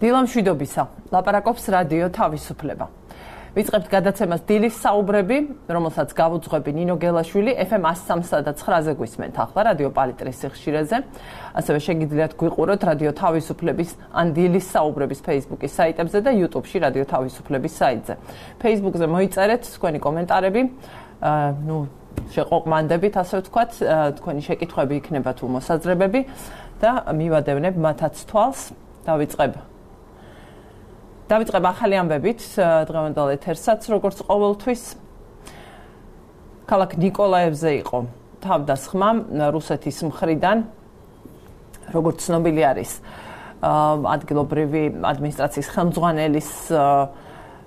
დილამშვიდობისა, ლაპარაკობს რადიო თავისუფლება. ვიწყებთ გადაცემას დილის საუბრები, რომელსაც გავუძღვები ნინო გელაშვილი, FM 103.9-ზე გვისმენთ ახლა რადიო პალიტრის სიხშირეზე. ასევე შეგიძლიათ გვიყუროთ რადიო თავისუფლების ან დილის საუბრების Facebook-ის საიტებზე და YouTube-ში რადიო თავისუფლების საიტზე. Facebook-ზე მოიწერეთ თქვენი კომენტარები, შეყოყმანდებით, ასე ვთქვათ, თქვენი შეკითხვები იქნება თუ მოსაზრებები და მივადევნებ მათაც თვალს. დავიწყებ ახალი ამბებით დღევანდელ ეთერსაც, როგორც ყოველთვის. ქალაქ ნიკოლაევზე იყო თავდასხმა რუსეთის მხრიდან, როგორც ცნობილი არის, ადგილობრივი ადმინისტრაციის ხელმძღვანელის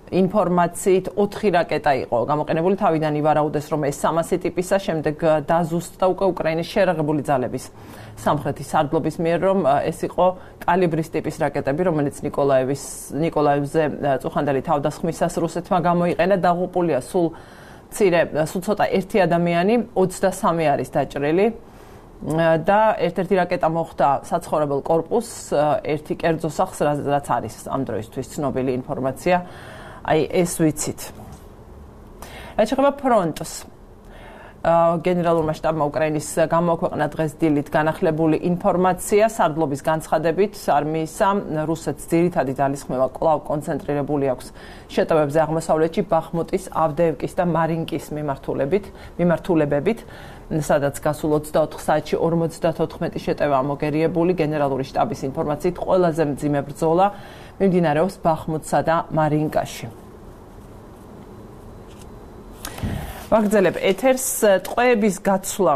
ინფორმაციით 4 რაკეტა იყო გამოყენებული. თავიდან ივარაუდეს, რომ ეს 300 ტიპისა, შემდეგ დაზუსტდა უკვე უკრაინის შეერაღებული ძალების სამხრეთის სარდლობის მიერ, რომ ეს იყო კალიბრის ტიპის რაკეტები, რომელიც ნიკოლაევზე წუხანდელი თავდასხმისას რუსეთმა გამოიყენა. დაღუპულია სულ ცოტა ერთი ადამიანი, 23 არის დაჭრილი და ერთ-ერთი რაკეტა მოხვდა საცხოვრებელ კორპუსს, ერთი კერძო სახლს, რაც არის ამ დროისთვის ცნობილი ინფორმაცია. ეს ვიცით. რაც შეეხება ფრონტს, გენერალურმა შტაბმა უკრაინის გამოაქვეყნა დღეს დილით განახლებული ინფორმაცია სარდლობის განცხადებით არმიისა, რუსეთს ძირითადი ძალისხმევა კვლავ კონცენტრირებული აქვს შეტევებზე აღმოსავლეთში ბახმუტის, ავდეევკის და მარინკის მიმართულებებით, სადაც გასულ 24 საათში 54 შეტევა მოგერიებული. გენერალური შტაბის ინფორმაციით ყველაზე მძიმე ბრძოლა მიმდინარეობს ბახმუტსა და მარინკაში. ვაგრძელებ ეთერს. ტყვეების გაცვლა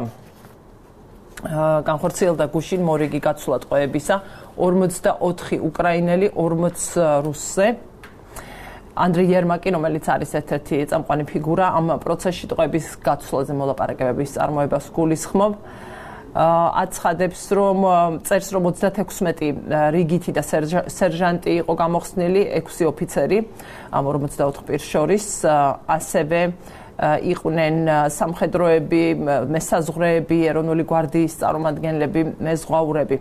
განხორციელდა გუშინ მორიგი გაცვლა ტყვეებისა 44 უკრაინელი 40 რუსზე. ანდრეი ერმაკი, რომელიც არის ერთ-ერთი წამყვანი ფიგურა ამ პროცესში ტყვეების გაცვლაზე მოლაპარაკებების წარმოებას გულისხმობ. აცხადებს, რომ წერს, რომ 36 რიგითი და სერჟანტი იყო გამოხსნილი, 6 ოფიცერი ამ 44 პირს შორის, ასევე იყვნენ სამხედროები, მესაზღვრეები, ეროვნული გვარდიის წარმომადგენლები, მეზღვაურები.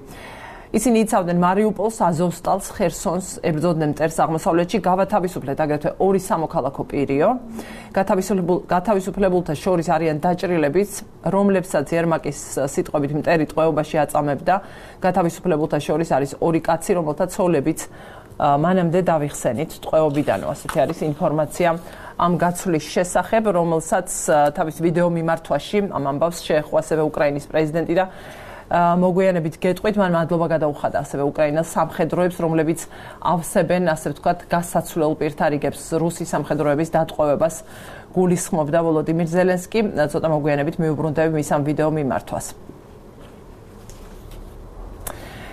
ისინი იცავდნენ მარიუპოლს, აზოვსტალს, ხერსონს, ებრძოდნენ მტერს აღმოსავლეთში, გავათავისუფლეთ აგრეთვე 2 სამოქალაქო პირიო. გათავისუფლებულთა შორის არიან დაჭრილებიც, რომლებსაც ერმაკის სიტყვებით მტერი ტყვეობაში აწამებდა. გათავისუფლებულთა შორის არის 2 კაცი, რომელთა ცოლებიც მანამდე დავიხსენით ტყვეობიდანო. ასეთი არის ინფორმაცია ამ გაცვლის შესახებ, რომელსაც თავის ვიდეო მიმართვაში ამ ამბავს შეეხო ასევე უკრაინის პრეზიდენტი და მოგვიანებით გეტყვით, მან მადლობა გადაუხადა ასევე უკრაინას სამხედროებს, რომლებიც ავსებენ, ასე ვთქვათ, გასაცვლელ პირთა რიგებს რუსი სამხედროების დატყვევებას გულისხმობდა ვოლოდიმირ ზელენსკი. ცოტა მოგვიანებით მიუბრუნდები მის ამ ვიდეო მიმართვას.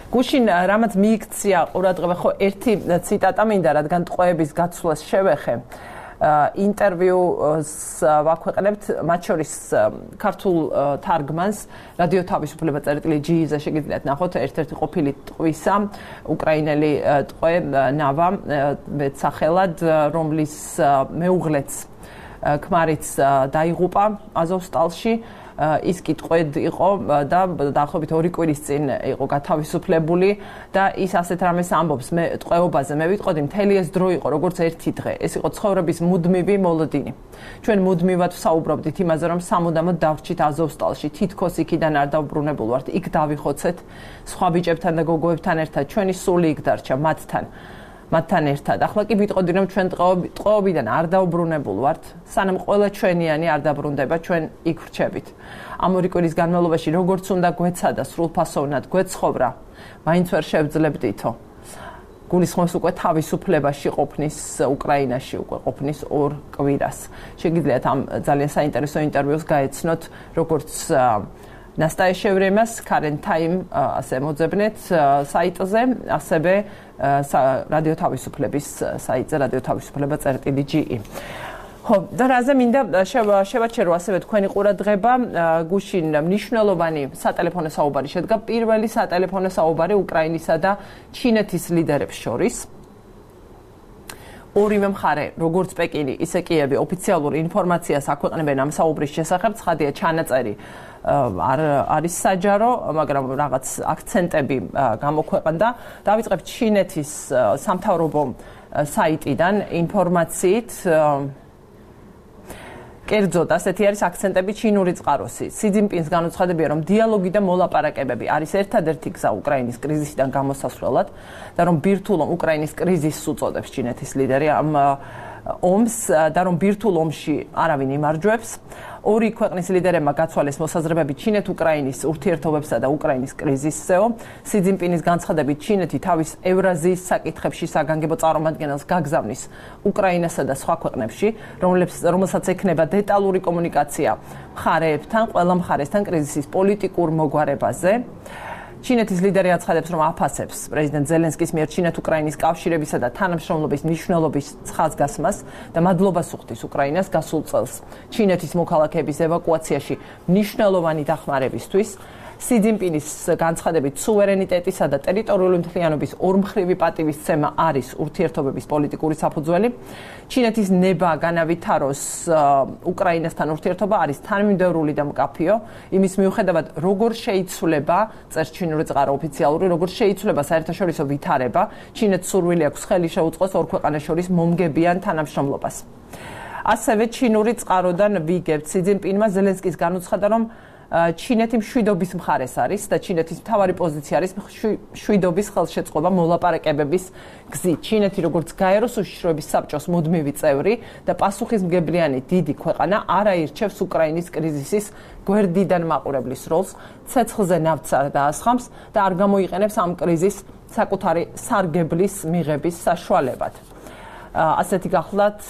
გუშინ რამაც მიიქცია ყურადღება, ხო ერთი ციტატა მინდა, რადგან ტყვეების გაცვლას შევეხე. ინტერვიუს ვაქვეყნებთ, მათ შორის ქართულ თარგმანს რადიო თავისუფლება წერტილი.gi-ზე შეგიძლიათ ნახოთ ერთ-ერთი ყოფილი ტყვისა, უკრაინელი ტყვე ნავა მეტსახელად, რომლის მეუღლეც ქმარიც დაიღუპა აზოვსტალში. ის კი ტყვედ იყო და დაახლოებით 2 კვირის წინ იყო გათავისუფლებული და ის ასეთ რამეს ამბობს, მე ტყვეობაზე მე ვიტყოდი, მთელი ეს დრო იყო როგორც ერთი დღე. ეს იყო ცხოვრების მუდმივი მოლოდინი. ჩვენ მუდმივად ვსაუბრობდით იმაზე, რომ სამუდამოდ დავრჩით აზოვსტალში, თითქოს იქიდან არ დავბრუნებულ ვართ, იქ დავიხოცეთ სხვა ბიჭებთან და გოგოებთან ერთად, ჩვენი სული იქ დარჩა მათთან ერთად. ახლა კი ვიტყოდი, რომ ჩვენ ტყვეობიდან არ დავბრუნებულ ვართ, სანამ ყველა ჩვენიანი არ დაბრუნდება, ჩვენ იქ ვრჩებით. ამ 2 კვირის განმავლობაში როგორც უნდა გვეცადა სრულფასოვნად გვეცხოვრა, მაინც ვერ შევძლებდითო. გულისხმობს უკვე თავისუფლებაში ყოფნის უკრაინაში უკვე ყოფნის 2 კვირას. შეგიძლიათ ამ ძალიან საინტერესო ინტერვიუს გაეცნოთ, როგორც ნასტაია შევრემას Current Time ასე მოძებნეთ საიტზე, ასევე რადიო თავისუფლების საიტზე რადიო თავისუფლება წერტილი.gi. ხო, და რაზე მინდა შევაჩერო ასევე თქვენი ყურადღება, გუშინ მნიშვნელოვანი სატელეფონო საუბარი შედგა, პირველი სატელეფონო საუბარი უკრაინისა და ჩინეთის ლიდერებს შორის. ორივე მხარე, როგორც პეკინი, ისე კიევი ოფიციალურ ინფორმაციას აქვეყნებენ ამ საუბრის შესახებ, ცხადია ჩანაწერი არის საჯარო, მაგრამ რაღაც აქცენტები გამოქვეყნდა. დავიწყებთ ჩინეთის სამთავრობო საიტიდან ინფორმაციით. კერძოდ, ასეთი არის აქცენტები ჩინური წყაროსი. სი ძინპინს განუცხადებია, რომ დიალოგი და მოლაპარაკებები არის ერთადერთი გზა უკრაინის კრიზისიდან გამოსასვლელად და რომ ბირთვულ უკრაინის კრიზისს უწოდებს ჩინეთის ლიდერი ამ ომს და რომ ბირთვულ ომში არავინ იმარჯვებს. ორი ქვეყნის ლიდერებმა გაცვალეს მოსაზრებები ჩინეთ-უკრაინის ურთიერთობებსა და უკრაინის კრიზისზეო. სი ძინპინის განცხადებით ჩინეთი თავის ევრაზიის საკითხებში საგანგებო წარმომადგენელს გაგზავნის უკრაინასა და სხვა ქვეყნებში, რომელსაც ექნება დეტალური კომუნიკაცია მხარეებთან, ყველა მხარესთან კრიზისის პოლიტიკურ მოგვარებაზე. ჩინეთის ლიდერი აცხადებს, რომ აფასებს პრეზიდენტ ზელენსკის მიერ ჩინეთ-უკრაინის კავშირებისა და თანამშრომლობის მნიშვნელობის ხაზგასმას და მადლობას უხდის უკრაინას გასულ წელს ჩინეთის მოქალაქეების ევაკუაციაში მნიშვნელოვანი დახმარებისთვის. სი ძინპინის განცხადებით სუვერენიტეტისა და ტერიტორიული მთლიანობის ორმხრივი პატივისცემა არის ურთიერთობების პოლიტიკური საფუძველი. ჩინეთის ნება განავითაროს უკრაინასთან ურთიერთობა არის თანმიმდევრული და მკაფიო. იმის მიუხედავად, როგორ შეიცვლება, წერს ჩინური წყარო ოფიციალური, როგორ შეიცვლება საერთაშორისო ვითარება, ჩინეთს სურვილი აქვს ხელი შეუწყოს ორ ქვეყანას შორის მომგებიან თანამშრომლობას. ასევე ჩინური წყაროდან ვიგებთ, სი ძინპინმა ზელენსკის განუცხადა, რომ ჩინეთი მშვიდობის მხარეს არის და ჩინეთის მთავარი პოზიცია არის მშვიდობის ხელშეწყობა მოლაპარაკებების გზით. ჩინეთი როგორც გაეროს უშიშროების საბჭოს მუდმივი წევრი და პასუხისმგებლიანი დიდი ქვეყანა არ აირჩევს უკრაინის კრიზისის გვერდიდან მაყურებლის როლს, ცეცხლზე ნავთს არ დაასხამს და არ გამოიყენებს ამ კრიზისს საკუთარი სარგებლის მიღების საშუალებად. ასეთი გახლავთ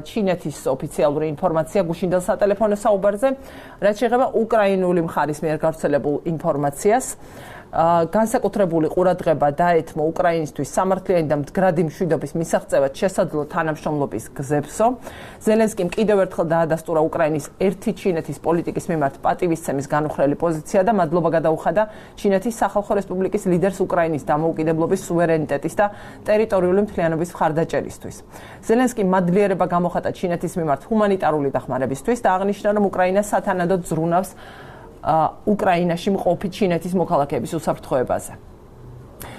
ჩინეთის ოფიციალური ინფორმაცია გუშინდელ სატელეფონო საუბარზე, რაც შეეხება უკრაინული მხარის მიერ გავრცელებულ ინფორმაციას. განსაკუთრებული ყურადღება დაეთმო უკრაინისთვის სამართლიანი და მდგრადი მშვიდობის მისაღწევად შესაძლო თანამშრომლობის გზებსო. ზელენსკიმ კიდევ ერთხელ დაადასტურა უკრაინის ერთი ჩინეთის პოლიტიკის მიმართ პატივისცემის განუხრელი პოზიცია და მადლობა გადაუხადა ჩინეთის სახალხო რესპუბლიკის ლიდერს უკრაინის დამოუკიდებლობის, სუვერენიტეტის და ტერიტორიული მთლიანობის მხარდაჭერისთვის. ზელენსკიმ მადლიერება გამოხატა ჩინეთის მიმართ ჰუმანიტარული დახმარებისთვის და აღნიშნა, რომ უკრაინა სათანადოდ ზრუნავს უკრაინაში მყოფი ჩინეთის მოქალაქეების უსაფრთხოებაზე.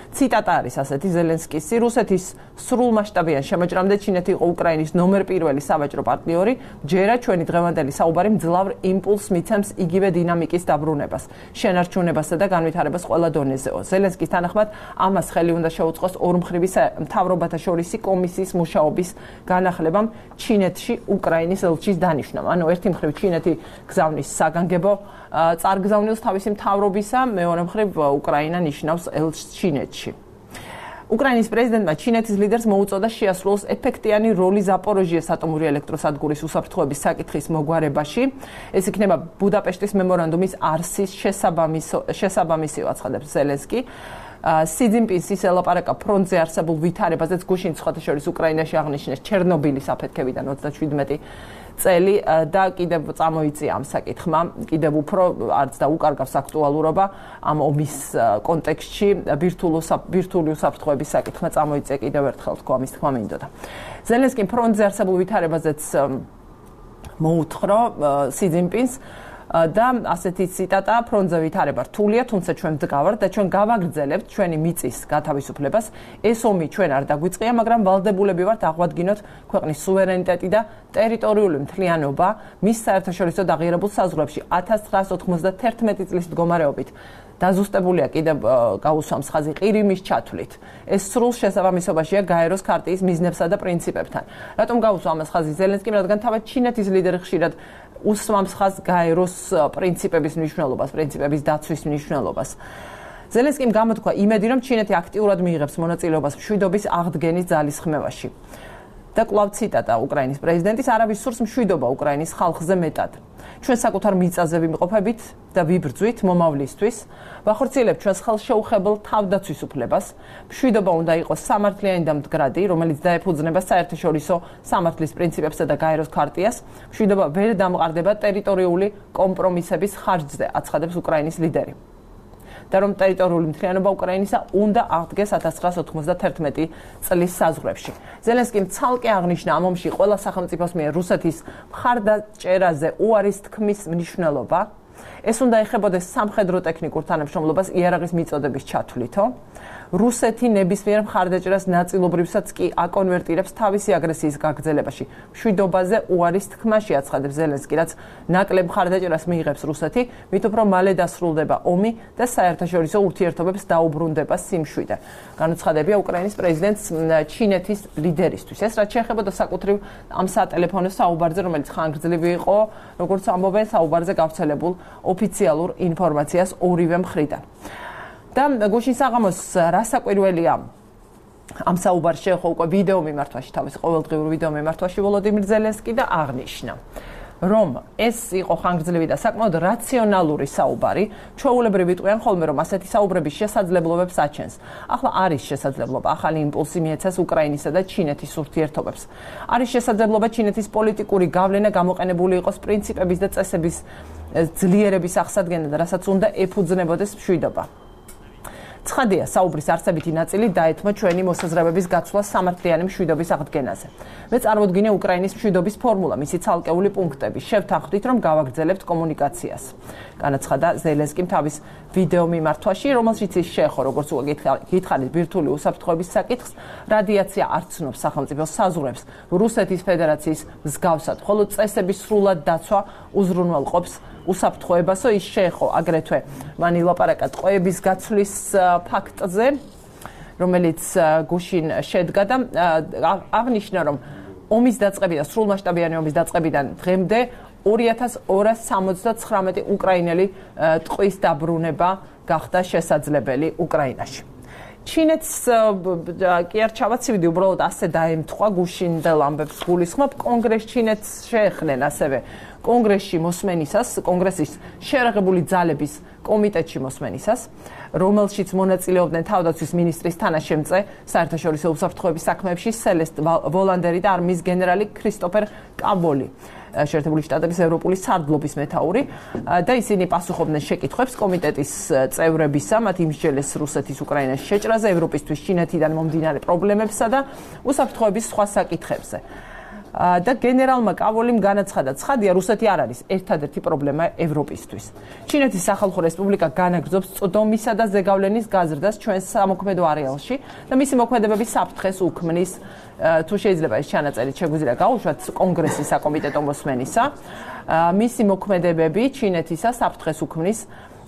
ციტატა არის ასეთი ზელენსკისი: რუსეთის სრულმასშტაბიან შემოჭრამდე ჩინეთი იყო უკრაინის ნომერ პირველი სავაჭრო პარტნიორი. ჯერა ჩვენი დღევანდელი საუბარი მძლავრ იმპულსს მიცემს იგივე დინამიკის დაბრუნებას, შენარჩუნებასა და განვითარებას ყველა დონეზეო. ზელენსკის თანახმად, ამას ხელი უნდა შეუწყოს ორმხრივი მთავრობათა შორისი კომისიის მუშაობის განახლებამ ჩინეთში უკრაინის ელჩის დანიშვნამ. ანუ ერთი მხრივ ჩინეთი გზავნის საგანგებო წარგზავნილს თავისი მთავრობისა, მეორე მხრივ უკრაინა ნიშნავს ელჩს ჩინეთში. უკრაინის პრეზიდენტმა ჩინეთის ლიდერს მოუწოდა შეასრულოს ეფექტიანი როლი ზაპოროჟიეს ატომური ელექტროსადგურის უსაფრთხოების საკითხის მოგვარებაში. ეს იქნება ბუდაპეშტის მემორანდუმის არსის შესაბამისი, აცხადებს ზელენსკი. სი ძინპინს ის ელაპარაკა ფრონტზე არსებულ ვითარებაზეც გუშინ სხვათა შორის უკრაინაში აღნიშნეს ჩერნობილის აფეთქებიდან 27 წელი და კიდევ წამოიწია ამ საკითხმა, კიდევ უფრო არც და უკარგავს აქტუალურობა ამ ომის კონტექსტში, ბირთვული უსაფრთხოების საკითხმა წამოიწია კიდევ ერთხელ თქო ამის თქმა მინდოდა. ზელენსკიმ ფრონტზე არსებულ ვითარებაზეც მოუთხრა სი ძინპინს და ასეთი ციტატა: ფრონტზე ვითარება რთულია, თუმცა ჩვენ ვდგავართ და ჩვენ გავაგრძელებთ ჩვენი მიწის გათავისუფლებას. ეს ომი ჩვენ არ დაგვიწყია, მაგრამ ვალდებულები ვართ აღვადგინოთ ქვეყნის სუვერენიტეტი და ტერიტორიული მთლიანობა მის საერთაშორისო დაღიარებულ საზღვრებში 1991 წლის მდგომარეობით. დაზუსტებულია კიდევ გაუსვამს ხაზი ყირიმის ჩათვლით. ეს სრულ შესაბამისობაშია გაეროს ქარტიის მიზნებსა და პრინციპებთან. რატომ გაუსვა ამას ხაზი ზელენსკიმ? რადგან თავად ჩინეთის ლიდერი ხშირად უსვამს ხაზს გაეროს პრინციპების მნიშვნელობას, პრინციპების დაცვის მნიშვნელობას. ზელენსკიმ გამოთქვა იმედი, რომ ჩინეთი აქტიურად მიიღებს მონაწილეობას მშვიდობის აღდგენის ძალისხმევაში. და კვლავ ციტატა უკრაინის პრეზიდენტის: არავის სურს მშვიდობა უკრაინის ხალხზე მეტად. ჩვენ საკუთარ მიწაზე ვიმყოფებით და ვიბრძვით მომავლისთვის, ვახორციელებთ ჩვენს ხელშეუხებელ თავდაცვის უფლებას. მშვიდობა უნდა იყოს სამართლიანი და მდგრადი, რომელიც დაეფუძნება საერთაშორისო სამართლის პრინციპებსა და გაეროს ქარტიას. მშვიდობა ვერ დამყარდება ტერიტორიული კომპრომისების ხარჯზე, აცხადებს უკრაინის ლიდერი. და რომ ტერიტორიული მთლიანობა უკრაინისა უნდა აღდგეს 1991 წლის საზღვრებში. ზელენსკიმ ცალკე აღნიშნა ამ ომში ყველა სახელმწიფოს მიერ რუსეთის მხარდაჭერაზე უარის თქმის მნიშვნელობა. ეს უნდა ეხებოდეს სამხედრო ტექნიკურ თანამშრომლობას იარაღის მიწოდების ჩათვლითო. რუსეთი ნებისმიერ მხარდაჭერას ნაწილობრივსაც კი აკონვერტირებს თავისი აგრესიის გაგრძელებაში. მშვიდობაზე უარის თქმაში აცხადებს ზელენსკი, რაც ნაკლებ მხარდაჭერას მიიღებს რუსეთი, მით უფრო მალე დასრულდება ომი და საერთაშორისო ურთიერთობებს დაუბრუნდება სიმშვიდე. განუცხადებია უკრაინის პრეზიდენტს ჩინეთის ლიდერისთვის. ეს რაც შეეხებოდა საკუთრივ ამ სატელეფონო საუბარზე, რომელიც ხანგრძლივი იყო, როგორც ამბობენ, საუბარზე გავრცელებულ ოფიციალურ ინფორმაციას ორივე მხრიდან. და გუშინ საღამოს რასაკვირველია ამ საუბარში შეეხო უკვე ვიდეო მიმართვაში, თავის ყოველდღიურ ვიდეო მიმართვაში ვოლოდიმირ ზელენსკი და აღნიშნა, რომ ეს იყო ხანგრძლივი და საკმაოდ რაციონალური საუბარი, ჩვეულებრივი ტყვიან ხოლმე, რომ ასეთი საუბრების შესაძლებლობებს აჩენს. ახლა არის შესაძლებლობა ახალი იმპულსი მიეცეს უკრაინისა და ჩინეთის ურთიერთობებს. არის შესაძლებლობა ჩინეთის პოლიტიკური გავლენა გამოყენებული იყოს პრინციპების და წესების ძლიერების აღსადგენად, რასაც უნდა ეფუძნებოდეს მშვიდობა. ცხადია, საუბრის არსებითი ნაწილი დაეთმო ჩვენი მოსაზრებების გაცვლა სამართლიანი მშვიდობის აღდგენაზე. მე წარმოვიდგინე უკრაინის მშვიდობის ფორმულა, მისი ცალკეული პუნქტები. შევთანხმდით, რომ გავაგრძელებთ კომუნიკაციას. განაცხადა ზელენსკიმ თავის ვიდეო მიმართვაში, რომელშიც ის შეეხო, როგორც უკვე გითხარით, ბირთვული უსაფრთხოების საკითხს, რადიაცია არ ცნობს სახელმწიფოს საზღვრებს, რუსეთის ფედერაციის მსგავსად, ხოლო წესების სრულად დაცვა უზრუნველყოფს უსაფრთხოებასო. ის შეეხო აგრეთვე მან ილაპარაკა ტყვეების გაცვლის ფაქტზე, რომელიც გუშინ შედგა და აღნიშნა, რომ ომის დაწყებიდან, სრულმასშტაბიანი ომის დაწყებიდან დღემდე 2279 უკრაინელი ტყვის დაბრუნება გახდა შესაძლებელი უკრაინაში. ჩინეთს კი არ ჩავაცივდი, უბრალოდ ასე დაემთხვა გუშინდელ ამბებს გულისხმობ. კონგრესს ჩინეთს შეეხნენ ასევე კონგრესში მოსმენისას, კონგრესის შეერაღებული ძალების კომიტეტში მოსმენისას, რომელშიც მონაწილეობდნენ თავდაცვის მინისტრის თანაშემწე საერთაშორისო უსაფრთხოების საქმეებში სელესტ ვოლანდერი და არმიის გენერალი ქრისტოფერ კაბოლი, შეერთებული შტატების ევროპული სარდლობის მეთაური და ისინი პასუხობდნენ შეკითხვებს კომიტეტის წევრებისა, მათ იმსჯელეს რუსეთის უკრაინაში შეჭრაზე, ევროპისთვის ჩინეთიდან მომდინარე პრობლემებსა და უსაფრთხოების სხვა საკითხებზე. და გენერალმა კაბოლიმ განაცხადა, ცხადია, რუსეთი არ არის ერთადერთი პრობლემა ევროპისთვის. ჩინეთის სახალხო რესპუბლიკა განაგრძობს წვდომისა და ზეგავლენის გაზრდას ჩვენს სამოქმედო არეალში და მისი მოქმედებების საფრთხეს უქმნის, თუ შეიძლება ეს ჩანაწერი შეგვიძლია გაუშვათ კონგრესის საკომიტეტო მოსმენისა, მისი მოქმედებები ჩინეთისა საფრთხეს უქმნის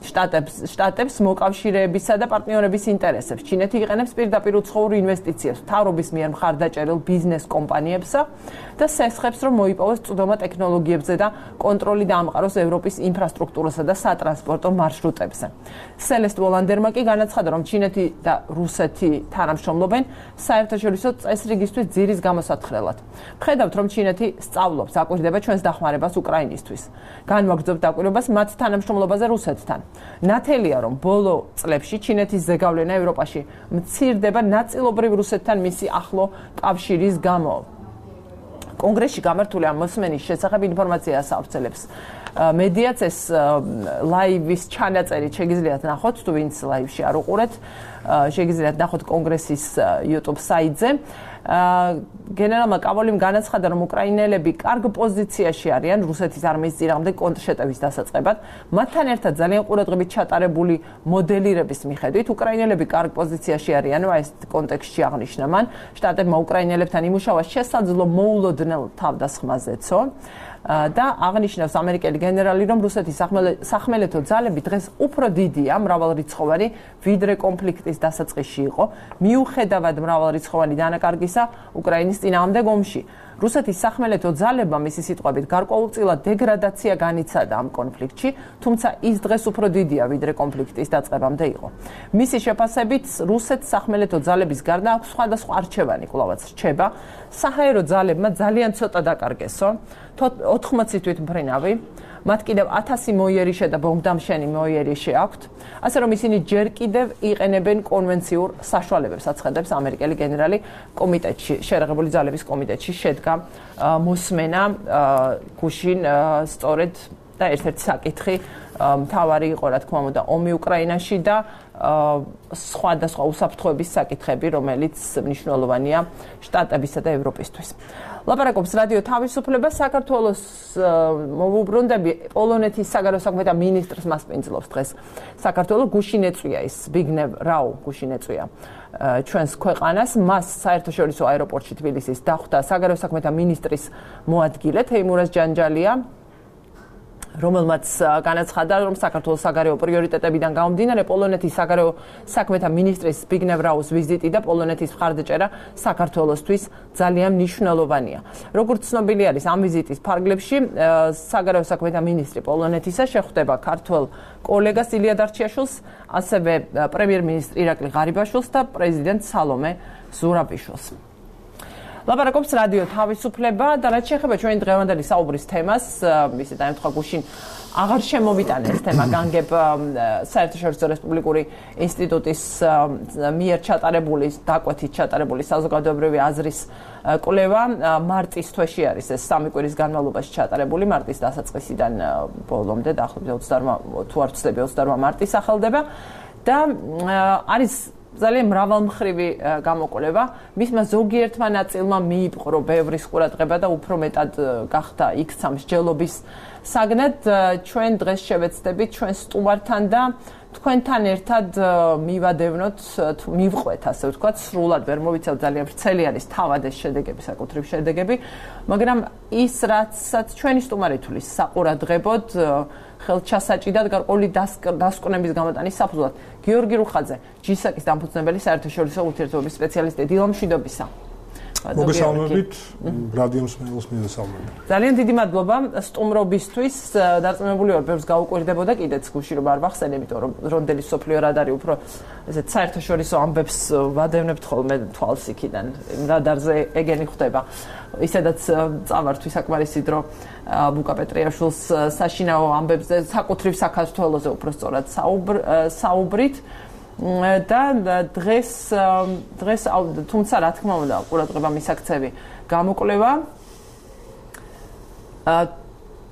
შტატებს მოკავშირეებისა და პარტნიორების ინტერესებს. ჩინეთი იყენებს პირდაპირ უცხოურ ინვესტიციებს, მთავრობის მიერ მხარდაჭერილ ბიზნეს კომპანიებსა და სესხებს, რომ მოიპოვოს წვდომა ტექნოლოგიებზე და კონტროლი დაამყაროს ევროპის ინფრასტრუქტურასა და სატრანსპორტო მარშრუტებზე. სელესტ ვოლანდერმა კი განაცხადა, რომ ჩინეთი და რუსეთი თანამშრომლობენ საერთაშორისო წესრიგისთვის ძირის გამოსათხრელად. ვხედავთ, რომ ჩინეთი სწავლობს, აკვირდება ჩვენს დახმარებას უკრაინისთვის. განვაგრძობთ დაკვირვებას მათ თანამშრომლობაზე რუსეთთან. ნათელია, რომ ბოლო წლებში ჩინეთის ზეგავლენა ევროპაში მცირდება ნაწილობრივ რუსეთთან მისი ახლო კავშირის გამო. კონგრესში გამართული ამ მოსმენის შესახებ ინფორმაციას ავრცელებს მედიაც. ეს ლაივის ჩანაწერი შეგიძლიათ ნახოთ, თუ ვინც ლაივში არ უყურეთ, შეგიძლიათ ნახოთ კონგრესის YouTube საიტზე. გენერალმა კაბოლიმ განაცხადა, რომ უკრაინელები კარგ პოზიციაში არიან რუსეთის არმიის წინააღმდეგ კონტრშეტევის დასაწყებად. მათთან ერთად ძალიან ყურადღებით ჩატარებული მოდელირების მიხედვით უკრაინელები კარგ პოზიციაში არიან, ეს კონტექსტში აღნიშნა მან. შტატებმა უკრაინელებთან იმუშავა შესაძლო მოულოდნელ თავდასხმაზეცო. და აღნიშნავს ამერიკელი გენერალი, რომ რუსეთის სახმელეთო ძალები დღეს უფრო დიდია, მრავალრიცხოვანი, ვიდრე კონფლიქტის დასაწყისში იყო, მიუხედავად მრავალრიცხოვანი დანაკარგისა უკრაინის წინააღმდეგ ომში. რუსეთის სახმელეთო ძალებმა მისი სიტყვებით გარკვეულწილად დეგრადაცია განიცადა ამ კონფლიქტში, თუმცა ის დღეს უფრო დიდია, ვიდრე კონფლიქტის დაწყებამდე იყო. მისი შეფასებით, რუსეთის სახმელეთო ძალების გარდა აქვს სხვადასხვა არჩევანი, კვლავაც რჩება. საჰაერო ძალებმა ძალიან ცოტა დაკარგესო, 80 თვითმფრინავი, მათ კიდევ 1000 მოიერიშე და ბომბდამშენი მოიერიშე აქვთ, ასე რომ ისინი ჯერ კიდევ იყენებენ კონვენციურ საშუალებებს, აცხადებს ამერიკელი გენერალი კომიტეტში, შეერაღებული ძალების კომიტეტში შედგა მოსმენა გუშინ სწორედ და ერთ-ერთი საკითხი მთავარი იყო რა თქმა უნდა ომი უკრაინაში და სხვადასხვა უსაფრთხოების საკითხები, რომელიც მნიშვნელოვანია შტატებისა და ევროპისთვის. ლაპარაკობს რადიო თავისუფლება საქართველოს მოვუბრუნდები პოლონეთის საგარეო საქმეთა მინისტრს მასპინძლობს დღეს. საქართველოს გუშინ ეწვია ის ბიგნევ რაუ გუშინ ეწვია ჩვენს ქვეყანას მას საერთაშორისო აეროპორტში თბილისის დახვდა საგარეო საქმეთა მინისტრის მოადგილე თეიმურაზ ჯანჯალია რომელმაც განაცხადა, რომ საქართველოს საგარეო პრიორიტეტებიდან გამომდინარე პოლონეთის საგარეო საქმეთა მინისტრის ბიგნევ რაუს ვიზიტი და პოლონეთის მხარდაჭერა საქართველოსთვის ძალიან მნიშვნელოვანია. როგორც ცნობილი არის, ამ ვიზიტის ფარგლებში საგარეო საქმეთა მინისტრი პოლონეთისა შეხვდება ქართველ კოლეგას ილია დარჩიაშვილს, ასევე პრემიერ-მინისტრ ირაკლი ღარიბაშვილს და პრეზიდენტ სალომე ზურაბიშვილს. ლაპარაკობს რადიო თავისუფლება და რაც შეეხება ჩვენი დღევანდელი საუბრის თემას, ისე დაემთხვა გუშინ აღარ შემოვიტანე ეს თემა განგებ საერთაშორისო რესპუბლიკური ინსტიტუტის მიერ ჩატარებული დაკვეთით ჩატარებული საზოგადოებრივი აზრის კვლევა მარტის თვეში არის ეს 3 კვირის განმავლობაში ჩატარებული მარტის დასაწყისიდან ბოლომდე დაახლოებით 28 თუ არ ვცდები 28 მარტი სახელდება და არის ძალიან მრავალმხრივი გამოკვლევა. მისმა ზოგიერთმა ნაწილმა მიიპყრო ბევრის ყურადღება და უფრო მეტად გახდა იქცა მსჯელობის საგნად. ჩვენ დღეს შევეცდებით ჩვენ სტუმართან და თქვენთან ერთად მივადევნოთ, მივყვეთ, ასე ვთქვათ, სრულად ვერ მოვიცავ ძალიან ვრცელი არის თავად ეს შედეგები, საკუთრივ შედეგები, მაგრამ ის რაცაც ჩვენი სტუმარი თulis საყურადღებოდ ხელჩასაჭიდად გარკვეული დასკვნების გამოტანის საფუძვლად გიორგი რუხაძე, ჯისაკის დამფუძნებელი საერთაშორისო ურთიერთობების სპეციალისტი, დილა მშვიდობისა. მოგესალმებით, რადიო მსმენელს მივესალმებით. ძალიან დიდი მადლობა სტუმრობისთვის. დარწმუნებული ვარ, ბევრს გაუკვირდებოდა კიდეც გუშინ რომ არ ვახსენე, იმიტომ რომ რონდელი სოფლიო რადარი უფრო ესეთ საერთაშორისო ამბებს ვადევნებთ ხოლმე თვალს იქიდან. რადარზე ეგენი ხდება. ისედაც წავართ ვისაკმარისი დრო ბუკა პეტრიაშვილს საშინაო ამბებზე, საკუთრივ საქართველოზე უფრო სწორად საუბრით. და დღეს თუმცა რა თქმა უნდა ყურადღება მისაქცევი გამოკვლევა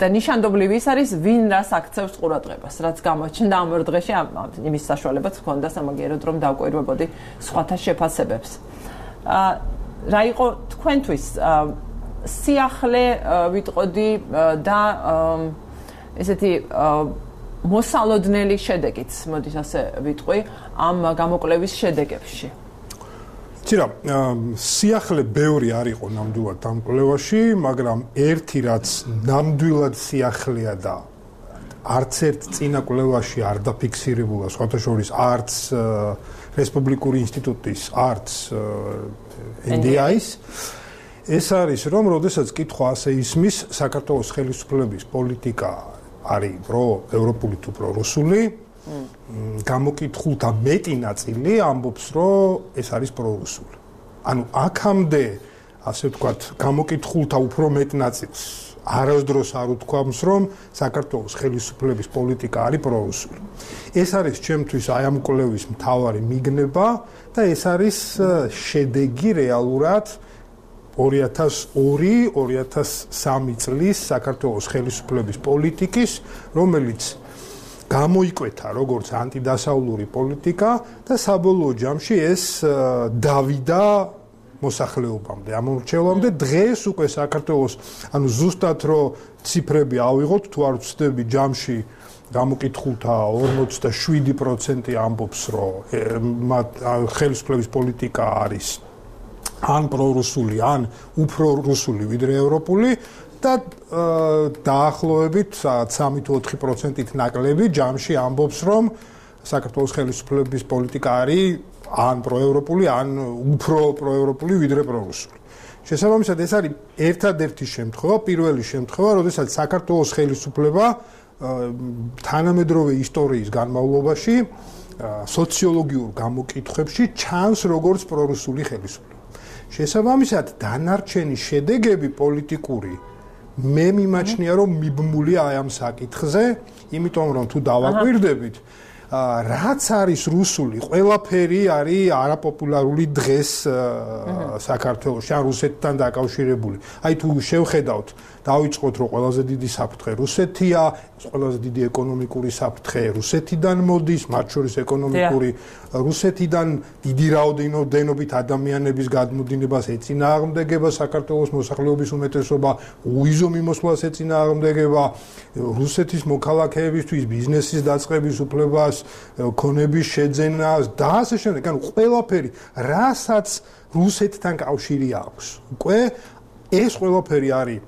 და ნიშანდობლივი ის არის ვინ რას აქცევს ყურადღებას რაც გამოჩნდა ამ ორ დღეში იმის საშუალებაც ჰქონდა სამაგიეროდ რომ დავკვირვებოდი სხვათა შეფასებებს რა იყო თქვენთვის სიახლე ვიტყოდი და ესეთი მოსალოდნელი შედეგიც, მოდით ასე ვიტყვი, ამ გამოკვლევის შედეგებში. ცირა, სიახლე ბევრი არ იყო ნამდვილად ამ კვლევაში, მაგრამ ერთი რაც ნამდვილად სიახლეა და არც ერთ წინა კვლევაში არ დაფიქსირებულა, სხვათა შორის არც რესპუბლიკური ინსტიტუტის, არც NDI-ის, ეს არის, რომ როდესაც კითხვა ასე ისმის, საქართველოს ხელისუფლების პოლიტიკა არის ევროპული თუ პრორუსული, გამოკითხულთა მეტი ნაწილი ამბობს, რომ ეს არის პრორუსული. ანუ აქამდე, ასე ვთქვათ, გამოკითხულთა უფრო მეტ ნაწილს არასდროს არ უთქვამს, რომ საქართველოს ხელისუფლების პოლიტიკა არის პრორუსული. ეს არის ჩემთვის აი ამ კვლევის მთავარი მიგნება და ეს არის შედეგი რეალურად 2002-2003 წლის საქართველოს ხელისუფლების პოლიტიკის, რომელიც გამოიკვეთა როგორც ანტიდასავლური პოლიტიკა და საბოლოო ჯამში ეს დავიდა მოსახლეობამდე, ამორჩევამდე. დღეს უკვე საქართველოს, ანუ ზუსტად რო ციფრები ავიღოთ, თუ არ ვცდები ჯამში გამოკითხულთა 47% ამბობს, რომ ხელისუფლების პოლიტიკა არის ან პრორუსული, ან უფრო რუსული ვიდრე ევროპული და დაახლოებით 3-4%-ით ნაკლები ჯამში ამბობს, რომ საქართველოს ხელისუფლების პოლიტიკა არის ან პროევროპული, ან უფრო პროევროპული ვიდრე პრორუსული. შესაბამისად, ეს არის ერთადერთი შემთხვევა, პირველი შემთხვევა, როდესაც საქართველოს ხელისუფლება თანამედროვე ისტორიის განმავლობაში სოციოლოგიურ გამოკითხვებში ჩანს როგორც პრორუსული ხელისუფლება. შესაბამისად, დანარჩენი შედეგები პოლიტიკური მე მიმაჩნია, რომ მიბმულია აი ამ საკითხზე, იმიტომ რომ თუ დავაკვირდებით, რაც არის რუსული, ყველაფერი არის არაპოპულარული დღეს საქართველოში, ან რუსეთთან დაკავშირებული. აი თუ შევხედავთ, დავიწყოთ რომ ყველაზე დიდი საფრთხე რუსეთია, ყველაზე დიდი ეკონომიკური საფრთხე რუსეთიდან მოდის, მათ შორის ეკონომიკური რუსეთიდან დიდი რაოდენობით ადამიანების გადმოდინებას ეწინააღმდეგება საქართველოს მოსახლეობის უმეტესობა, უიზო მიმოსვლას ეწინააღმდეგება, რუსეთის მოქალაქეებისთვის ბიზნესის დაწყების უფლებას, ქონების შეძენას და ასე შემდეგ. ანუ ყველაფერი, რასაც რუსეთთან კავშირი აქვს. უკვე ეს ყველაფერი არის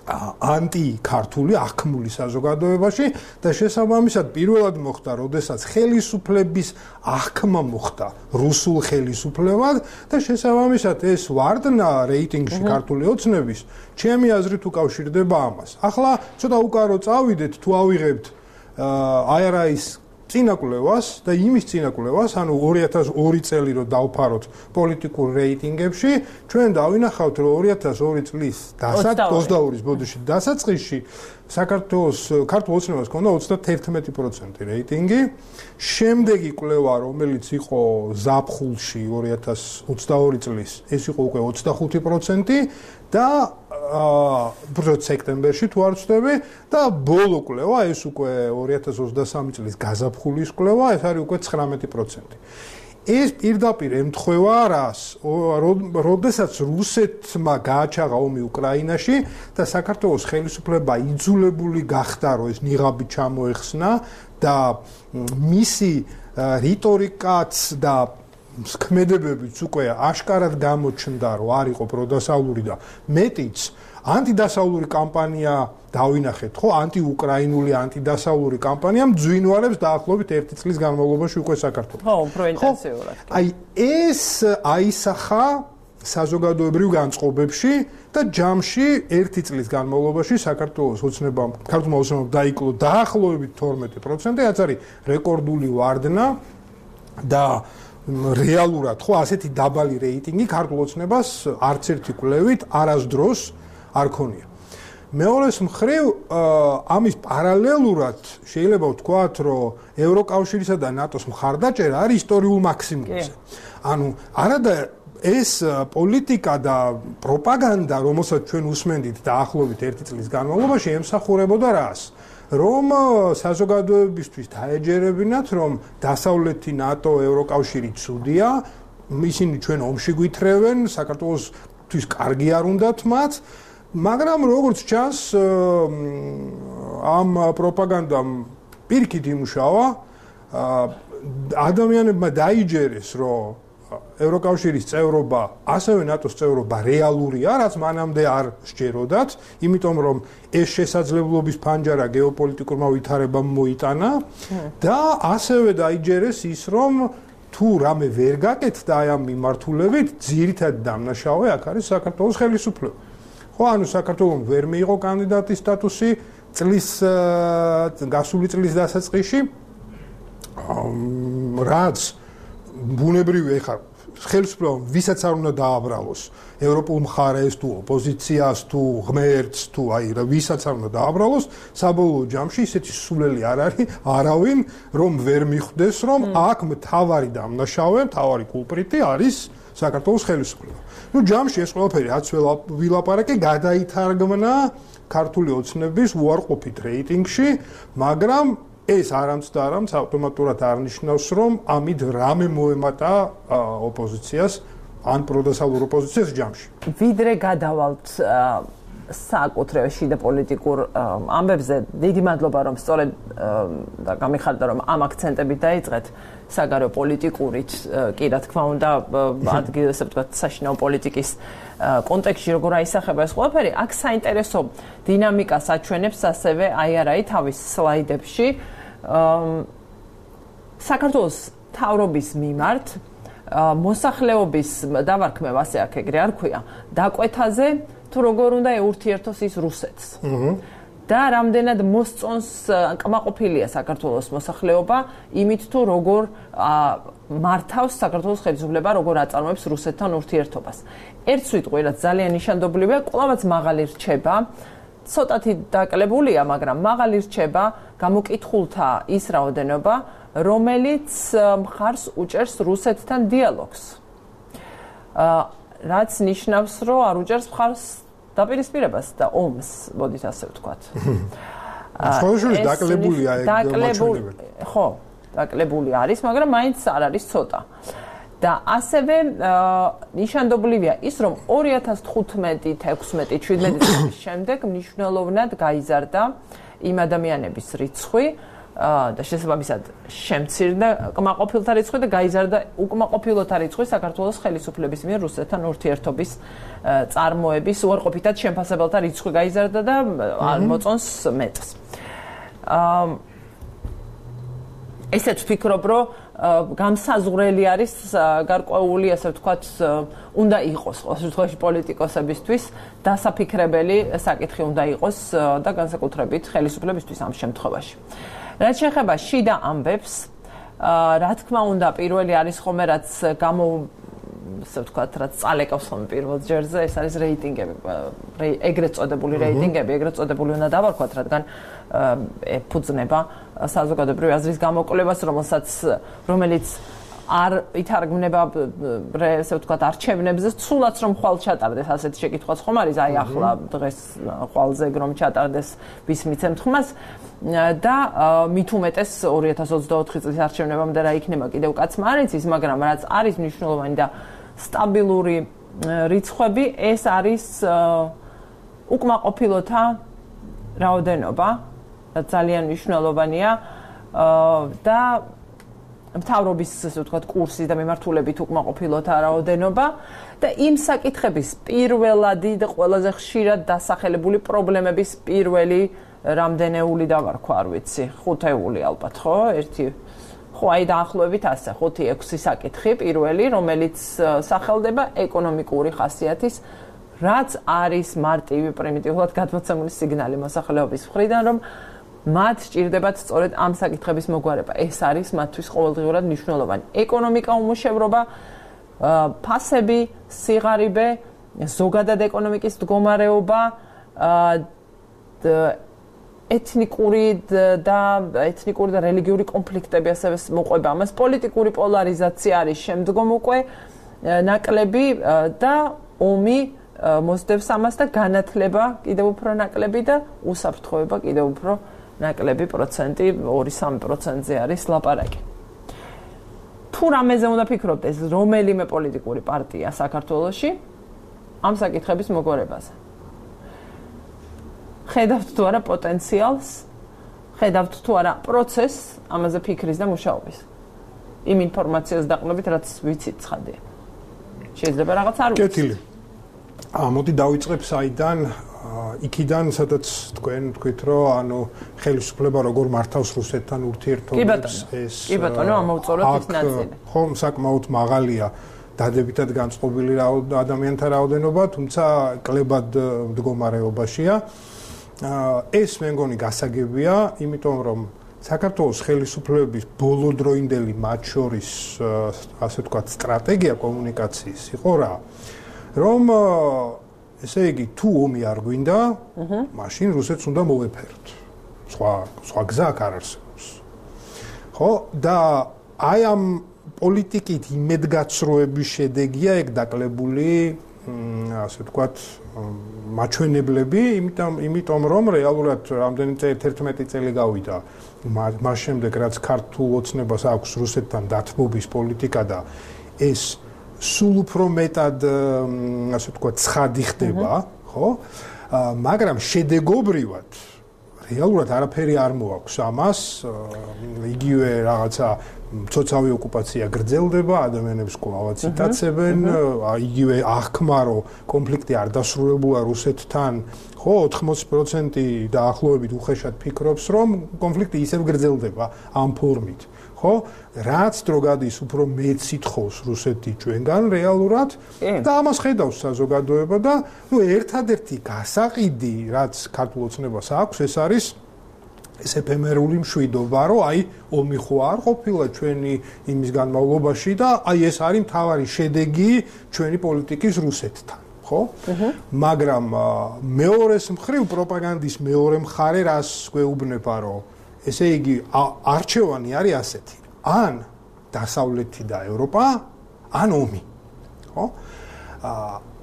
ანტიქართული ახმული საზოგადოებაში და შესაბამისად პირველად მოხდა, როდესაც ხელისუფლების ახმა მოხდა რუსულ ხელისუფლებად და შესაბამისად ეს ვარდნა რეიტინგში ქართული ოცნების ჩემი აზრით უკავშირდება ამას. ახლა ცოტა უკარო წავიდეთ თუ ავიღებთ IRI-ის წინაკვლევას და იმის წინაკვლევას, ანუ 2002 წელი რო დავფაროთ პოლიტიკურ რეიტინგებში, ჩვენ დავინახავთ, რომ 2002 წლის 22-ის ბოდიში დასაწყისში საქართველოს ქართულ ოცნებას ჰქონდა 31% რეიტინგი. შემდეგი კვლევა, რომელიც იყო ზაფხულში 2022 წლის, ეს იყო უკვე 25% და უბრალოდ სექტემბერში თუ არ ვცდები და ბოლო კვლევა ეს უკვე 2023 წლის გაზაფხულის კვლევა, ეს არის უკვე 19%. ეს პირდაპირ ემთხვევა რას? როდესაც რუსეთმა გააჩაღა ომი უკრაინაში და საქართველოს ხელისუფლება იძულებული გახდა, რომ ეს ნიღაბი ჩამოეხსნა და მისი რიტორიკაც და ქმედებებიც უკვე აშკარად გამოჩნდა, რომ არ იყო პროდასავლური და მეტიც ანტიდასავლური კამპანია დავინახეთ, ხო, ანტიუკრაინული ანტიდასავლური კამპანია მძვინვარებს დაახლოებით 1 წლის განმავლობაში უკვე საქართველოს. ხო, უფრო ინტენსიურად. აი ეს აისახა საზოგადოებრივ განწყობებში და ჯამში 1 წლის განმავლობაში საქართველოს ოცნებამ, ქართულმა ოცნებამ დაიკლო დაახლოებით 12%, რაც არის რეკორდული ვარდნა და რეალურად ხო ასეთი დაბალი რეიტინგი ქართულ ოცნებას არც ერთი კვლევით არასდროს არ ქონია. მეორეს მხრივ ამის პარალელურად შეიძლება ვთქვათ, რომ ევროკავშირისა და ნატოს მხარდაჭერა არის ისტორიულ მაქსიმუმზე. ანუ არადა ეს პოლიტიკა და პროპაგანდა, რომელსაც ჩვენ უსმენდით დაახლოებით 1 წლის განმავლობაში, ემსახურებოდა რას? რომ საზოგადოებისთვის დაეჯერებინათ, რომ დასავლეთი ნატო, ევროკავშირი ცუდია, ისინი ჩვენ ომში გვითრევენ, საქართველოსთვის კარგი არ უნდათ მათ, მაგრამ როგორც ჩანს, ამ პროპაგანდამ პირიქით იმუშავა, ადამიანებმა დაიჯერეს, რომ ევროკავშირის წევრობა, ასევე ნატოს წევრობა რეალურია, რაც მანამდე არ სჯეროდათ, იმიტომ რომ ეს შესაძლებლობის ფანჯარა გეოპოლიტიკურმა ვითარებამ მოიტანა და ასევე დაიჯერეს ის, რომ თუ რამე ვერ გაკეთდა აი ამ მიმართულებით, ძირითადი დამნაშავე აქ არის საქართველოს ხელისუფლება. ხო, ანუ საქართველოს ვერ მიიღო კანდიდატის სტატუსი წლის გასული წლის დასაწყისში, რაც ბუნებრივია ხარ ხელისუფლებამ ვისაც არ უნდა დააბრალოს ევროპულ მხარეს თუ ოპოზიციას თუ ღმერთს თუ აი ვისაც არ უნდა დააბრალოს საბოლოო ჯამში ისეთი სულელი არ არის არავინ რომ ვერ მიხვდეს რომ აქ მთავარი დამნაშავე მთავარი კულპრიტი არის საქართველოს ხელისუფლება. ნუ ჯამში ეს ყველაფერი რაც ვილაპარაკე გადაითარგმნა ქართული ოცნების უარყოფით რეიტინგში, მაგრამ ეს არამც და არამც ავტომატურად არნიშნავს, რომ ამით რამე მოემატა ოპოზიციას ან პროდასავლურ ოპოზიციას ჯამში. ვიდრე გადავალთ საკუთრებაში შიდა პოლიტიკურ ამბებზე, დიდი მადლობა, რომ სწორედ და გამიხარდა, რომ ამ აქცენტებით დაიწყეთ საგარეო პოლიტიკურით, კი რა თქმა უნდა, ადგილ ესე ვთქვათ, საშინაო პოლიტიკის კონტექსტში როგორ აისახება ეს ყველაფერი, აქ საინტერესო დინამიკას აჩვენებს ასევე IRI თავის სლაიდებში. საქართველოს მთავრობის მიმართ მოსახლეობის დავარქმევ ასე აქ ეგრე არ ქვია, დაკვეთაზე თუ როგორ უნდა ეურთიერთოს ის რუსეთს. და რამდენად მოსწონს კმაყოფილია საქართველოს მოსახლეობა იმით თუ როგორ მართავს საქართველოს ხელისუფლება, როგორ აწარმოებს რუსეთთან ურთიერთობას. ერთ სიტყვით, რაც ძალიან ნიშანდობლივია, კვლავაც მაღალი რჩება, ცოტათი დაკლებულია, მაგრამ მაღალი რჩება გამოკითხულთა ის რაოდენობა, რომელიც მხარს უჭერს რუსეთთან დიალოგს. რაც ნიშნავს, რომ არ უჭერს მხარს დაპირისპირებას და ომს, მოდით ასე ვთქვათ. ხოლმე დაკლებულია ეგ მაჩვენებელი. ხო, დაკლებული არის, მაგრამ მაინც არ არის ცოტა. და ასევე ნიშანდობლივია ის, რომ 2015, 16, 17 წლის შემდეგ მნიშვნელოვნად გაიზარდა იმ ადამიანების რიცხვი და შესაბამისად შემცირდა კმაყოფილთა რიცხვი და გაიზარდა უკმაყოფილოთა რიცხვი საქართველოს ხელისუფლების მიერ რუსეთთან ურთიერთობის წარმოების უარყოფითად შემფასებელთა რიცხვი გაიზარდა და არ მოწონს მეტს. ესეც ვფიქრობ, რომ გამსაზღვრელი არის გარკვეული, ასე ვთქვათ, უნდა იყოს ყოველ შემთხვევაში პოლიტიკოსებისთვის დასაფიქრებელი საკითხი უნდა იყოს და განსაკუთრებით ხელისუფლებისთვის ამ შემთხვევაში. რაც შეეხება შიდა ამბებს, რა თქმა უნდა, პირველი არის ხოლმე რაც ასე ვთქვათ, რაც წალეკავს ხოლმე პირველ ჯერზე, ეს არის რეიტინგები, ეგრეთ წოდებული რეიტინგები, ეგრეთ წოდებული უნდა დავარქვათ, რადგან ეფუძნება საზოგადოებრივი აზრის გამოკვლევას, რომელიც არ ითარგმნება ესე ვთქვათ არჩევნებზე, სულაც რომ ხვალ ჩატარდეს, ასეთი შეკითხვაც ხომ არის, აი ახლა დღეს ხვალზე რომ ჩატარდეს ვის მიცემთ ხმას და მით უმეტეს 2024 წლის არჩევნებამდე რა იქნება კიდევ კაცმა არ იცის, მაგრამ რაც არის მნიშვნელოვანი და სტაბილური რიცხვები, ეს არის უკმაყოფილოთა რაოდენობა, რაც ძალიან მნიშვნელოვანია და მთავრობის, ასე ვთქვათ, კურსი და მიმართულებით უკმაყოფილოთა რაოდენობა და იმ საკითხების პირველადი და ყველაზე ხშირად დასახელებული პრობლემების პირველი რამდენეული დავარქვა, არ ვიცი, 5-ეული ალბათ, ხო? ხო, აი დაახლოებით ასე, 5-6 საკითხი პირველი, რომელიც სახელდება ეკონომიკური ხასიათის, რაც არის მარტივი პრიმიტიულად გადმოცემული სიგნალი მოსახლეობის მხრიდან, რომ მათ სჭირდებათ სწორედ ამ საკითხების მოგვარება. ეს არის მათთვის ყოველდღიურად მნიშვნელოვანი. ეკონომიკა, უმუშევრობა, ფასები, სიღარიბე, ზოგადად ეკონომიკის მდგომარეობა, ეთნიკური და რელიგიური კონფლიქტები ასევე მოყვება ამას, პოლიტიკური პოლარიზაცია არის შემდგომ უკვე ნაკლები და ომი მოსდევს ამას და განათლება კიდევ უფრო ნაკლები და უსაფრთხოება კიდევ უფრო ნაკლები პროცენტი 2-3%-ზე არის ლაპარაკი. თუ რამეზე უნდა ფიქრობთ ეს რომელიმე პოლიტიკური პარტია საქართველოში ამ საკითხების მოგვარებაზე. ხედავთ თუ არა პოტენციალს, ხედავთ თუ არა პროცესს ამაზე ფიქრის და მუშაობის. იმ ინფორმაციას დაყრდნობით, რაც ვიცით ცხადია. შეიძლება რაღაც არ ვიცით. კეთილი. მოდი დავიწყებ საიდან იქიდან სადაც თქვენ თქვით რომ ანუ ხელისუფლება როგორ მართავს რუსეთთან ურთიერთობებს ეს კი ბატონო ამოვწოროთ ის ნაწილი. ხომ საკმაოდ მაღალია დადებითად განწყობილი ადამიანთა რაოდენობა, თუმცა კლებად მდგომარეობაშია. ეს მე მგონი გასაგებია, იმიტომ რომ საქართველოს ხელისუფლების ბოლოდროინდელი მათ შორის ასე ვთქვათ სტრატეგია კომუნიკაციის იყო რა, რომ ესე იგი თუ ომი არ გვინდა, მაშინ რუსეთს უნდა მოვეფეროთ. სხვა გზა არ არსებობს. ხო? და აი ამ პოლიტიკით იმედგაცრუების შედეგია ეგ დაკლებული ასე ვთქვათ მაჩვენებლები, იმიტომ რომ რეალურად რამდენი 11 წელი გავიდა მას შემდეგ რაც ქართულ ოცნებას აქვს რუსეთთან დათმობის პოლიტიკა და ეს სულ უფრო მეტად ასე ვთქვათ ცხადი ხდება, ხო? მაგრამ შედეგობრივად რეალურად არაფერი არ მოაქვს ამას, იგივე რაღაცა მცოცავი ოკუპაცია გრძელდება, ადამიანებს კვლავაც იტაცებენ, იგივე აღქმარო კონფლიქტი არ დასრულებულა რუსეთთან, ხო, 80% დაახლოებით უხეშად ფიქრობს, რომ კონფლიქტი ისევ გრძელდება ამ ფორმით. ხო? რაც დრო გადის უფრო მეც ითხოვს რუსეთი ჩვენგან რეალურად და ამას ხედავს საზოგადოება და ნუ ერთადერთი გასაყიდი რაც ქართულ ოცნებას აქვს ეს არის ეს ეფემერული მშვიდობა რომ აი ომი ხო არ ყოფილა ჩვენი იმის განმავლობაში და აი ეს არის მთავარი შედეგი ჩვენი პოლიტიკის რუსეთთან ხო? მაგრამ მეორეს მხრივ პროპაგანდის მეორე მხარე რას გვეუბნება რომ ესე იგი არჩევანი არის ასეთი. ან დასავლეთი და ევროპა, ან ომი. ხო?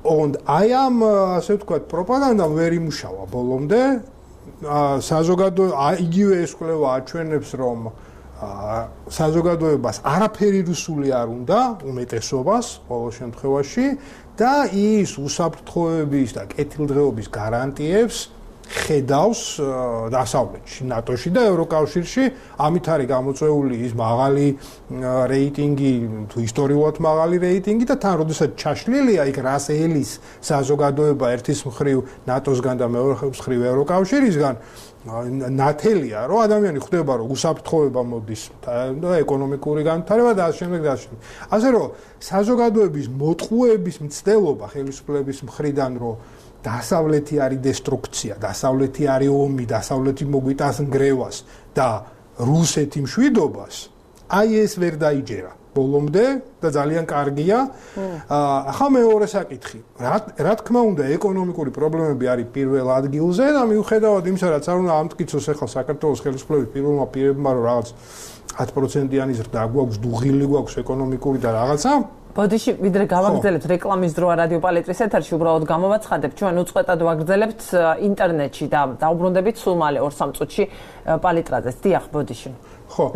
Und I am ასე ვთქვათ, პროპაგანდამ ვერ იმუშავა ბოლომდე. საზოგადოება იგივე ეს კვლევა აჩვენებს, რომ საზოგადოებას არაფერი რუსული არ უნდა, უმეტესობას ყოველ შემთხვევაში და ის უსაფრთხოების და კეთილდღეობის გარანტიებს ხედავს დასავლეთში, ნატოში და ევროკავშირში. ამით არის გამოწვეული ის მაღალი რეიტინგი, თუ ისტორიულად მაღალი რეიტინგი და თან როდესაც ჩაშლილია იქ რას ელის საზოგადოება ერთის მხრივ ნატოსგან და მეორე მხრივ ევროკავშირისგან, ნათელია, რომ ადამიანი ხვდება, რომ უსაფრთხოება მოდის და ეკონომიკური განვითარება და ასე შემდეგ და ასე შემდეგ. ასე რომ საზოგადოების მოტყუების მცდელობა ხელისუფლების მხრიდან, რომ დასავლეთი არის დესტრუქცია, დასავლეთი არის ომი, დასავლეთი მოგვიტანს ნგრევას და რუსეთი მშვიდობას, აი ეს ვერ დაიჯერა ბოლომდე და ძალიან კარგია. ახლა მეორე საკითხი. რა თქმა უნდა, ეკონომიკური პრობლემები არის პირველ ადგილზე და მიუხედავად იმისა, რაც არ უნდა ამტკიცოს ახლა საქართველოს ხელისუფლების პირველმა პირებმა, რომ რაღაც 10%-იანი ზრდა გვაქვს, დუღილი გვაქვს ეკონომიკური და რაღაცა. ბოდიში ვიდრე გავაგრძელებთ რეკლამის დროა რადიო პალეტრის ეთერში, უბრალოდ გამოვაცხადებთ, ჩვენ უწყვეტად ვაგრძელებთ ინტერნეტში და დაუბრუნდებით სულ მალე 2-3 წუთში პალიტრაზე. დიახ, ბოდიში. ხო.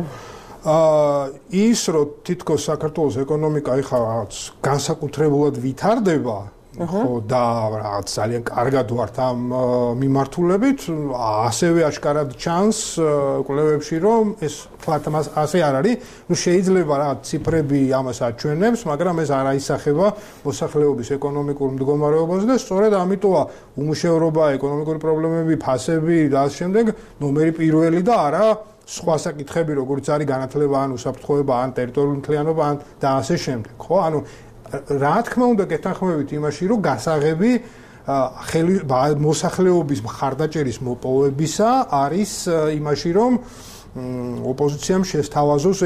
ის რომ თითქოს საქართველოს ეკონომიკა ეხლა რაღაც განსაკუთრებულად ვითარდება, ხო და რაღაც ძალიან კარგად ვართ ამ მიმართულებით, ასევე აშკარად ჩანს კვლევებში, რომ ეს თქვათ მას ასე არ არის. ნუ შეიძლება რაღაც ციფრები ამას აჩვენებს, მაგრამ ეს არ აისახება მოსახლეობის ეკონომიკურ მდგომარეობას და სწორედ ამიტომა უმუშევრობა, ეკონომიკური პრობლემები, ფასები და ამ შემდეგ ნომერი პირველი და არა სხვა საკითხები, როგორც არის განათლება, ან უსაფრთხოება, ან ტერიტორიული მთლიანობა, ან და ასე შემდეგ. ხო, ანუ რა თქმა უნდა გეთანხმებით იმაში, რომ გასაღები მოსახლეობის მხარდაჭერის მოპოვებისა არის იმაში, რომ ოპოზიციამ შესთავაზოს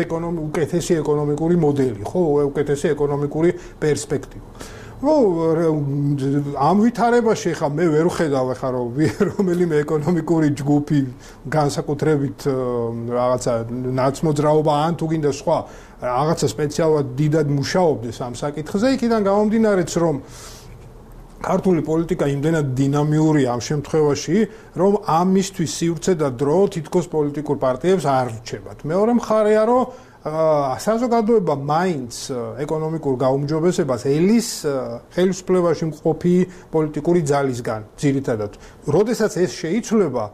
უკეთესი ეკონომიკური მოდელი, ხო, უკეთესი ეკონომიკური პერსპექტივა. ამ ვითარებაში ხა მე ვერ ვხედავ ხა რომ რომელიმე ეკონომიკური ჯგუფი განსაკუთრებით რაღაცა ნაცმოძრაობა ან თუ გინდა სხვა რაღაცა სპეციალურად დიდად მუშაობდეს ამ საკითხზე, იქიდან გამომდინარეც რომ ქართული პოლიტიკა იმდენად დინამიურია ამ შემთხვევაში, რომ ამისთვის სივრცე და დრო თითქოს პოლიტიკურ პარტიებს არ რჩებათ. მეორე მხარეა, რომ საზოგადოება მაინც ეკონომიკურ გაუმჯობესებას ელის ხელისუფლებაში მყოფი პოლიტიკური ძალისგან ძირითადად. როდესაც ეს შეიცვლება,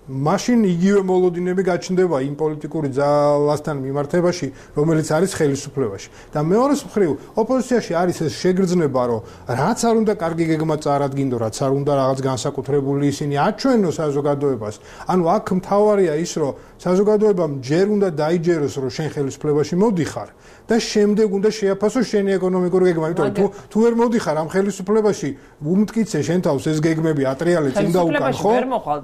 მაშინ იგივე მოლოდინები გაჩნდება იმ პოლიტიკური ძალასთან მიმართებაში, რომელიც არის ხელისუფლებაში. და მეორეს მხრივ, ოპოზიციაში არის ეს შეგრძნება, რომ რაც არ უნდა კარგი გეგმა წარადგინდო, რაც არ უნდა რაღაც განსაკუთრებული ისინი აჩვენოს საზოგადოებას. ანუ აქ მთავარია ის, რომ საზოგადოებამ ჯერ უნდა დაიჯეროს, რომ შენ ხელისუფლებაში მოდიხარ და შემდეგ უნდა შეაფასოს შენი ეკონომიკური გეგმა. იმიტომ თუ ვერ მოდიხარ ამ ხელისუფლებაში, უმტკიცე შენ თავს ეს გეგმები ატრიალე წინ და უკან, ხო? ვერ მოხვალ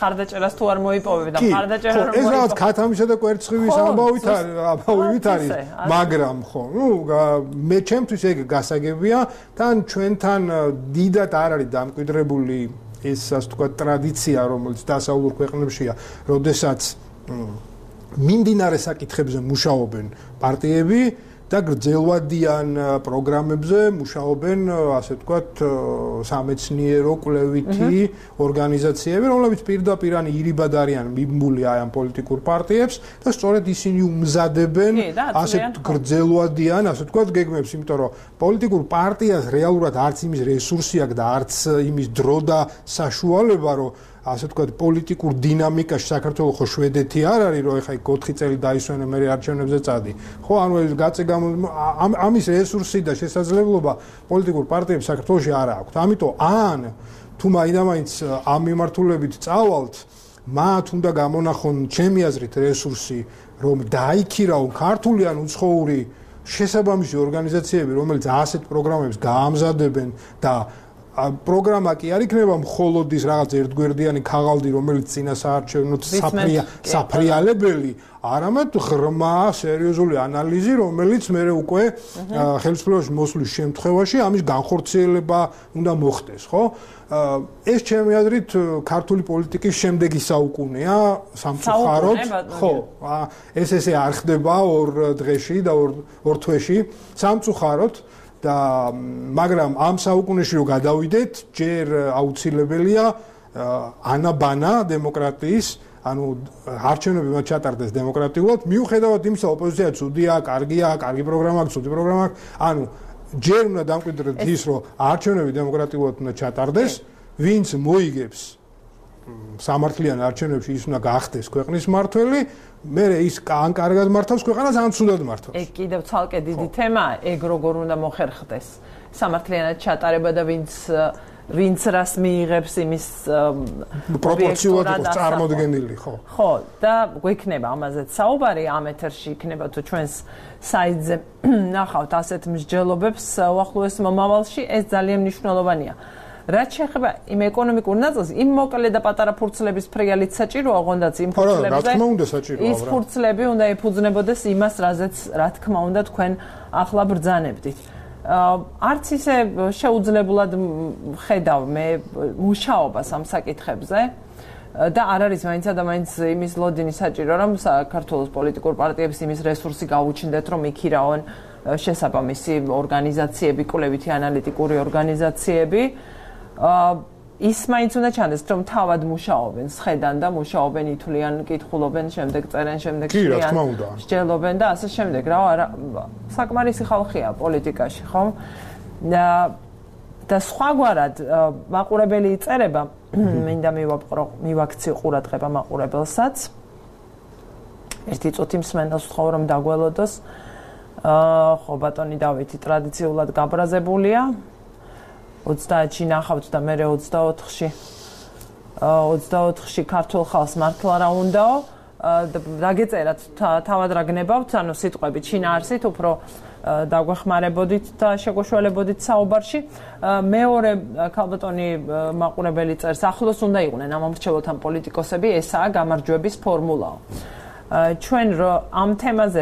ხარდაჭერას თუ არ მოიპოვებ და ხარდაჭერა რომ ეს რაღაც ქათამისა და კვერცხივის ამბავით არის, მაგრამ ხო, ნუ მე ჩემთვის ეგ გასაგებია, თან ჩვენთან დიდად არ არის დამკვიდრებული ეს ასე ვთქვათ ტრადიცია, რომელიც დასავლურ ქვეყნებშია, როდესაც მიმდინარე საკითხებზე მუშაობენ პარტიები და გრძელვადიან პროგრამებზე მუშაობენ, ასე ვთქვათ, სამეცნიერო კვლევითი ორგანიზაციები, რომლებიც პირდაპირ ან ირიბად არიან მიბმული აი ამ პოლიტიკურ პარტიებს და სწორედ ისინი უმზადებენ ასე გრძელვადიან, ასე ვთქვათ, გეგმებს, იმიტომ რომ პოლიტიკურ პარტიას რეალურად არც იმის რესურსი აქვს და არც იმის დრო და საშუალება, რომ ასე ვთქვათ, პოლიტიკურ დინამიკაში საქართველოს ხო შვედეთი არ არის, რომ ეხა 4 წელი დაისვენე მე არჩევნებზე წადი. ხო, ანუ ეს ამის რესურსი და შესაძლებლობა პოლიტიკურ პარტიებს საქართველოში არ აქვს. ამიტომ ან თუ მაინც ამ მიმართულებით წავალთ, მათ უნდა გამონახონ ჩემი აზრით რესურსი, რომ დაიქირავონ ქართული ან უცხოური შესაბამისი ორგანიზაციები, რომელიც ასეთ პროგრამებს გაამზადებენ და პროგრამა კი არ იქნება მხოლოდ ის რაღაც ერთგვერდიანი ქაღალდი, რომელიც წინა საარჩევნოდ საფრიალებელი, არამედ ღრმა სერიოზული ანალიზი, რომელიც მე უკვე ხელისუფლებაში მოსვლის შემთხვევაში ამის განხორციელება უნდა მოხდეს, ხო? ეს ჩემი აზრით ქართული პოლიტიკის შემდეგი საუკუნეა სამწუხაროდ, ხო, ეს ესე არ ხდება ორ დღეში და ორ თვეში, სამწუხაროდ და მაგრამ ამ საუკუნეში რო გადავიდეთ, ჯერ აუცილებელია ანაბანა დემოკრატიის, ანუ არჩევნები მათ ჩატარდეს დემოკრატიულად, მიუხედავად იმისა, ოპოზიცია ცუდია, კარგია, კარგი პროგრამა აქვს, ცუდი პროგრამა აქვს, ანუ ჯერ უნდა დამკვიდრდეს ის, რომ არჩევნები დემოკრატიულად უნდა ჩატარდეს, ვინც მოიგებს სამართლიან არჩევნებში, ის უნდა გახდეს ქვეყნის მმართველი, მე ის ან კარგად მართავს ქვეყანას, ან ცუდად მართავს. ეგ კიდევ ცალკე დიდი თემაა, ეგ როგორ უნდა მოხერხდეს სამართლიანად ჩატარება და ვინც რას მიიღებს იმის პროპორციულად იყოს წარმოდგენილი, ხო. ხო, და გვექნება ამაზეც საუბარი ამ ეთერში იქნება თუ ჩვენს საიტზე ნახავთ ასეთ მსჯელობებს უახლოეს მომავალში, ეს ძალიან მნიშვნელოვანია. რაც შეეხება იმ ეკონომიკურ ნაწილს, იმ მოკლე და პატარა ფურცლების ფრიალით საჭიროა, ოღონდაც იმ ფურცლებზე. ის ფურცლები უნდა ეფუძნებოდეს იმას, რა თქმა უნდა თქვენ ახლა ბრძანებდით. არც ისე შეუძლებულად ხედავ მე მუშაობას ამ საკითხებზე და არ არის მაინც და მაინც იმის ლოდინი საჭირო, რომ საქართველოს პოლიტიკურ პარტიებს იმის რესურსი გაუჩნდეთ, რომ იქირაონ შესაბამისი ორგანიზაციები, კვლევითი ანალიტიკური ორგანიზაციები. ის მაინც უნდა ჩანდეს, რომ თავად მუშაობენ, სხედან და მუშაობენ, ითვლიან, კითხულობენ, შემდეგ წერენ, შემდეგ შრიან, მსჯელობენ და ასე შემდეგ. რა საკმარისი ხალხია პოლიტიკაში, ხო? და სხვაგვარად მაყურებელი იწერება, მინდა მივაქციო ყურადღება მაყურებელსაც. ერთი წუთი მსმენელს ვთხოვ, რომ დაგველოდოს. ხო, ბატონი დავითი ტრადიციულად გაბრაზებულია. 30-ში ნახავთ და მე 24-ში ქართულ ხალხს მართლა რა უნდაო დაგეწერათ თავად რა გნებავთ, ანუ სიტყვებით შინაარსით უფრო დაგვეხმარებოდით და შეგვეშველებოდით საუბარში. მეორე ქალბატონი მაყურებელი წერს, ახლოს უნდა იყვნენ ამ მომრჩეველთან პოლიტიკოსები, ესაა გამარჯვების ფორმულაო. ჩვენ ამ თემაზე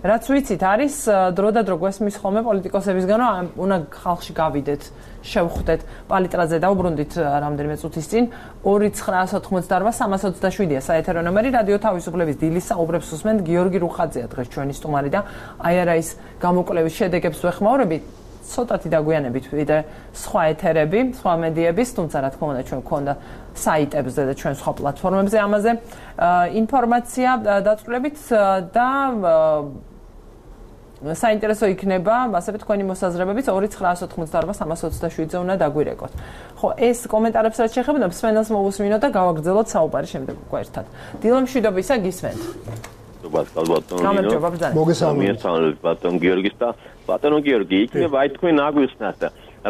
რაც ვიცით არის დრო და დრო გვესმის ხოლმე პოლიტიკოსებისგან, რომ უნდა ხალხში გავიდეთ, შევხვდეთ, პალიტრაზე დავუბრუნდით რამდენიმე წუთის წინ 2988327-ია საეთერო ნომერი, რადიო თავისუფლების დილის საუბრებს უსმენთ, გიორგი რუხაძეა დღეს ჩვენი სტუმარი და აი არა ის გამოკვლევის შედეგებს ვეხმაურებით, ცოტათი დაგვიანებით ვიდრე სხვა ეთერები, სხვა მედიების, თუმცა რა თქმა უნდა ჩვენ გვქონდა საიტებზე და ჩვენ სხვა პლატფორმებზე ამაზე ინფორმაცია დაწვრილებით და საინტერესო იქნება, ასევე თქვენი მოსაზრებებით 2988327-ზე უნდა დაგვირეკოთ. ხო, ეს კომენტარებს რაც შეეხება, მსმენელს მოვუსმინოთ და გავაგრძელოთ საუბარი შემდეგ უკვე ერთად. დილო მშვიდობისა, გისმენთ. მოგესალმებით ბატონ გიორგის და ბატონო გიორგი, იქნება აი თქვენ აგვიხსნათ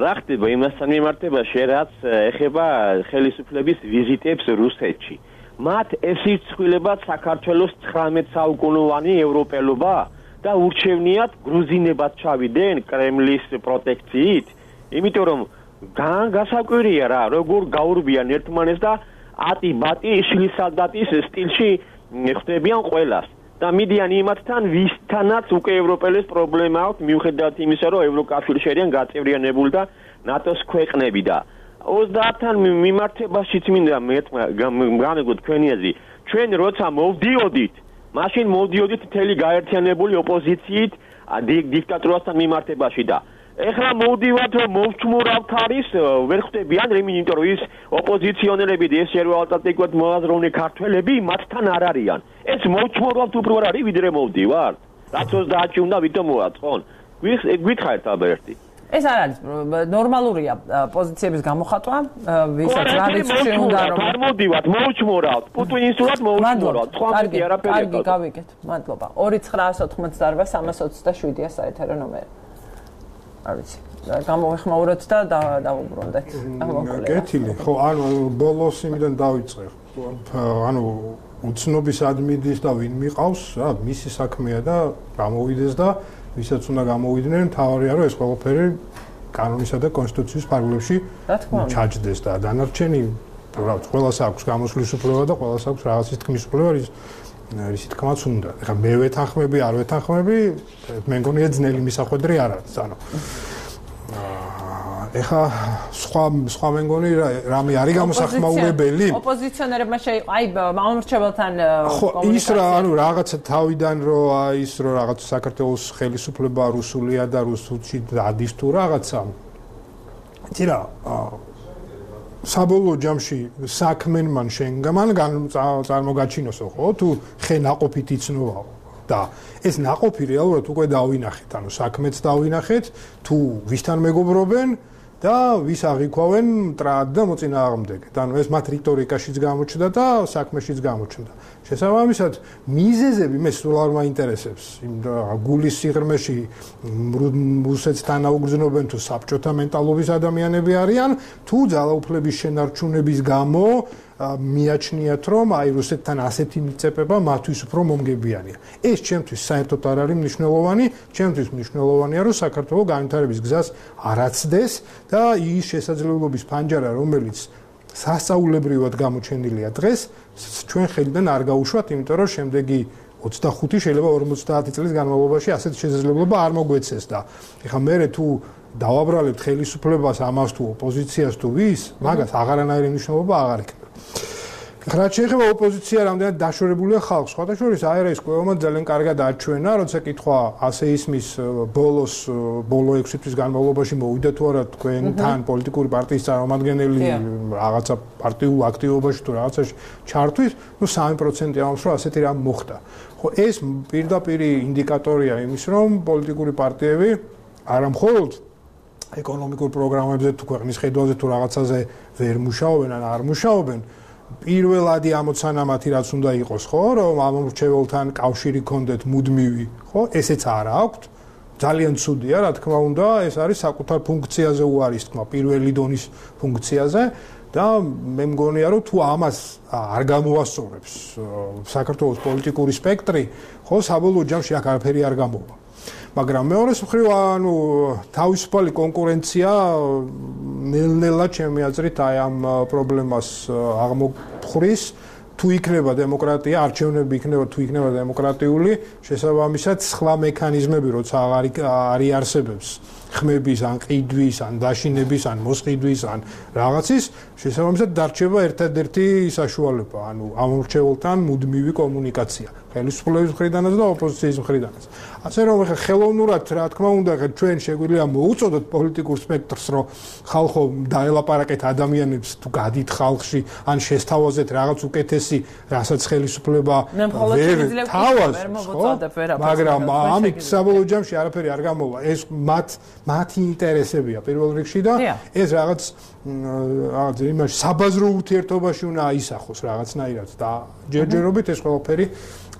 რა ხდება იმასთან მიმართებაში, რაც ეხება ხელისუფლების ვიზიტებს რუსეთში. მათ ეს იცვლებათ საქართველოს 19 საუკუნოვანი ევროპელობა და ურჩევნიათ გრუზინებად ჩავიდნენ კრემლის პროტექციით, იმიტომ რომ გასაკვირია რა, როგორ გაურბიან ერთმანეთს და ატი-ბატი შლის სალდატის სტილში ხდებიან ყველას. და მიდიან იმათთან, ვისთანაც უკვე ევროპელებს პრობლემა აქვს, მიუხედავად იმისა, რომ ევროკავშირში არიან გაწევრიანებული და ნატოს ქვეყნები და 30-თან მიმართებაშიც მინდა განეგოთ თქვენი აზრი. ჩვენ როცა მოვდიოდით, მაშინ მოვდიოდით მთელი გაერთიანებული ოპოზიციით დიქტატურასთან მიმართებაში და ეხლა მოვდივართ, რომ მოვჩმურავთ არის, ვერ ხვდებიან, იმიტომ რომ ის ოპოზიციონერები და ეს ეროვნულ-ალტერნატიულად მოაზროვნე ქართველები მათთან არ არიან. ეს მოვჩმურავთ უფრო არ არის, ვიდრე მოვდივართ. რაც 30-ში უნდა ვითომ მოაწყონ. გითხარით ალბერტი. ეს არ არის ნორმალურია პოზიციების გამოხატვა, ვისაც რა რიცხვი უნდა რომ მოვდივართ, მოვჩმურავთ, პუტინისტულად მოვჩმურავთ. სხვა მეტი არაფერი. კარგი, გავიგეთ. მადლობა. 2988327-ია საეთერო ნომერი. არ ვიცი, გამოვეხმაუროთ და დავუბრუნდეთ. კეთილი, ხო, ანუ ბოლოს იმიდან დავიწყე. ანუ უცნობის ადმინის და ვინ მიყავს, რა, მისი საქმეა და გამოვიდეს და ვისაც უნდა გამოვიდნენ, თავარია რომ ეს ყველაფერი კანონისა და კონსტიტუციის ფარგლებში ჩაჯდეს და დანარჩენი ყველას აქვს გამოსვლის უფლება და ყველას აქვს რაღაცის თქმის უფლება, რისი თქმაც უნდა. ეხლა მე ვეთანხმები, არ ვეთანხმები, მე მგონია ძნელი მისახვედრი არ არის, ანუ ეხა სხვა მე მგონი რამე არის გამოსახმაურებელი? ოპოზიციონერებმა აი მამამრჩეველთან ის რა ანუ რაღაცა თავიდან ის რაღაც საქართველოს ხელისუფლება რუსულია და რუსულში დადის თუ რაღაცა. იცი რა საბოლოო ჯამში საქმენმან შენგამან წარმოგაჩინოსო ხო თუ ხე ناقოფით იცნობაო და ეს ناقოფი რეალურად უკვე დავინახეთ ანუ საქმეც დავინახეთ თუ ვისთან მეგობრობენ და ვის აღიქვავენ მტრად და მოწინააღმდეგეთ ანუ ეს მათ რიტორიკაშიც გამოჩნდა და საქმეშიც გამოჩნდა შესაბამისად მიზეზები მე სულ არ მაინტერესებს იმ გულის სიღრმეში რუსეთს თანაუგრძნობენ თუ საბჭოთა მენტალობის ადამიანები არიან თუ ძალაუფლების შენარჩუნების გამო მიაჩნიათ რომ აი რუსეთთან ასეთი მიწებება მათთვის უფრო მომგებიანია ეს ჩემთვის საერთოდ არ არის მნიშვნელოვანი ჩემთვის მნიშვნელოვანია რომ საქართველოს განვითარების გზას არაცდეს და ის შესაძლებლობის ფანჯარა რომელიც სასწაულებრივად გამოჩენილია დღეს ჩვენ ხელიდან არ გაუშვათ იმიტომ რომ შემდეგი 25 შეიძლება 50 წლის განმავლობაში ასეთ შესაძლებლობა არ მოგვეცეს და ეხლა მე თუ დავაბრალებთ ხელისუფლებას ამას თუ ოპოზიციას თუ ვის მაგას აღარანაირი მნიშვნელობა აღარ ექნება რაც შეეხება ოპოზიცია რამდენად დაშორებულია ხალხს სხვათა შორის აერეს კვლევამ ძალიან კარგად აჩვენა როცა კითხვა ასე ისმის ბოლო 6 თვის განმავლობაში მოვიდა თუ არა თქვენთან პოლიტიკური პარტიის წარმომადგენელი რაღაცა პარტიულ აქტივობაში თუ რაღაცაში ჩართვის ნუ 3% ამას რომ ასეთი რამ მოხდა ხო ეს პირდაპირ ინდიკატორია იმის რომ პოლიტიკური პარტიები არა მხოლოდ ეკონომიკურ პროგრამებზე თუ ქვეყნის ხედვაზე თუ რაღაცაზე ვერ მუშაობენ ან არ მუშაობენ პირველადი ამოცანა მათი რაც უნდა იყოს ხო რომ ამომრჩეველთან კავშირი გქონდეთ მუდმივი ხო ესეც არა აქვთ ძალიან ცუდია რა თქმა უნდა ეს არის საკუთარ ფუნქციაზე უარის თქმა პირველი დონის ფუნქციაზე და მე მგონია რომ თუ ამას არ გამოასწორებს საქართველოს პოლიტიკური სპექტრი ხო საბოლოო ჯამში აქ არაფერი არ გამოვა მაგრამ მეორეს მხრივ ანუ თავისუფალი კონკურენცია ნელ-ნელა ჩემი აზრით აი ამ პრობლემას აღმოფხრის თუ იქნება დემოკრატია არჩევნები იქნება თუ იქნება დემოკრატიული შესაბამისად სხვა მექანიზმები როცა არ იარსებებს ხმების ან ყიდვის ან დაშინების ან მოსყიდვის ან რაღაცის შესაბამისად დარჩება ერთადერთი საშუალება ანუ ამომრჩეველთან მუდმივი კომუნიკაცია ხელისუფლების მხრიდანაც და ოპოზიციის მხრიდანაც ასე რომ ხა ხელოვნურად რა თქმა უნდა ჩვენ შეგვიძლია მოუწოდოთ პოლიტიკურ სპექტრს რომ ხალხო დაელაპარაკეთ ადამიანებს თუ გადით ხალხში ან შესთავაზეთ რაღაც უკეთესი რასაც ხელისუფლება ვერ თავაზ მაგრამ ამით საბოლოო ჯამში არაფერი არ გამოვა ეს მათი ინტერესებია პირველ რიგში და ეს რაღაც იმაში საბაზრო ურთიერთობაში უნდა აისახოს რაღაცნაირად და ჯერჯერობით ეს ყველაფერი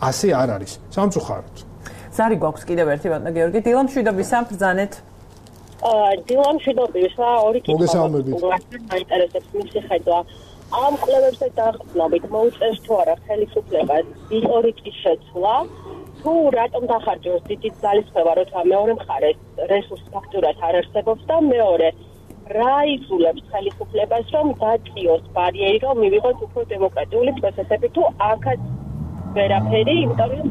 ასე არ არის სამწუხაროდ ზარი გვაქვს კიდევ ერთი ბატონო გიორგი დილამშვიდობისა ბრძანეთ დილამშვიდობისა ორი კითხვა მაინტერესებს მისი ხედვა ამ კვლევებზე დაყრდნობით მოუწევს თუ არა ხელისუფლებას ისტორიკის შეცვლა თუ რატომ დახარჯოს დიდი ძალისხმევა როცა მეორე მხარეს რესურს ფაქტურად არ არსებობს და მეორე რა იზულებს ხელისუფლებას რომ დაწიოს ბარიერი რომ მივიღოთ უფრო დემოკრატიული პროცესები თუ აქაც ვერაფერი იმიტომ რომ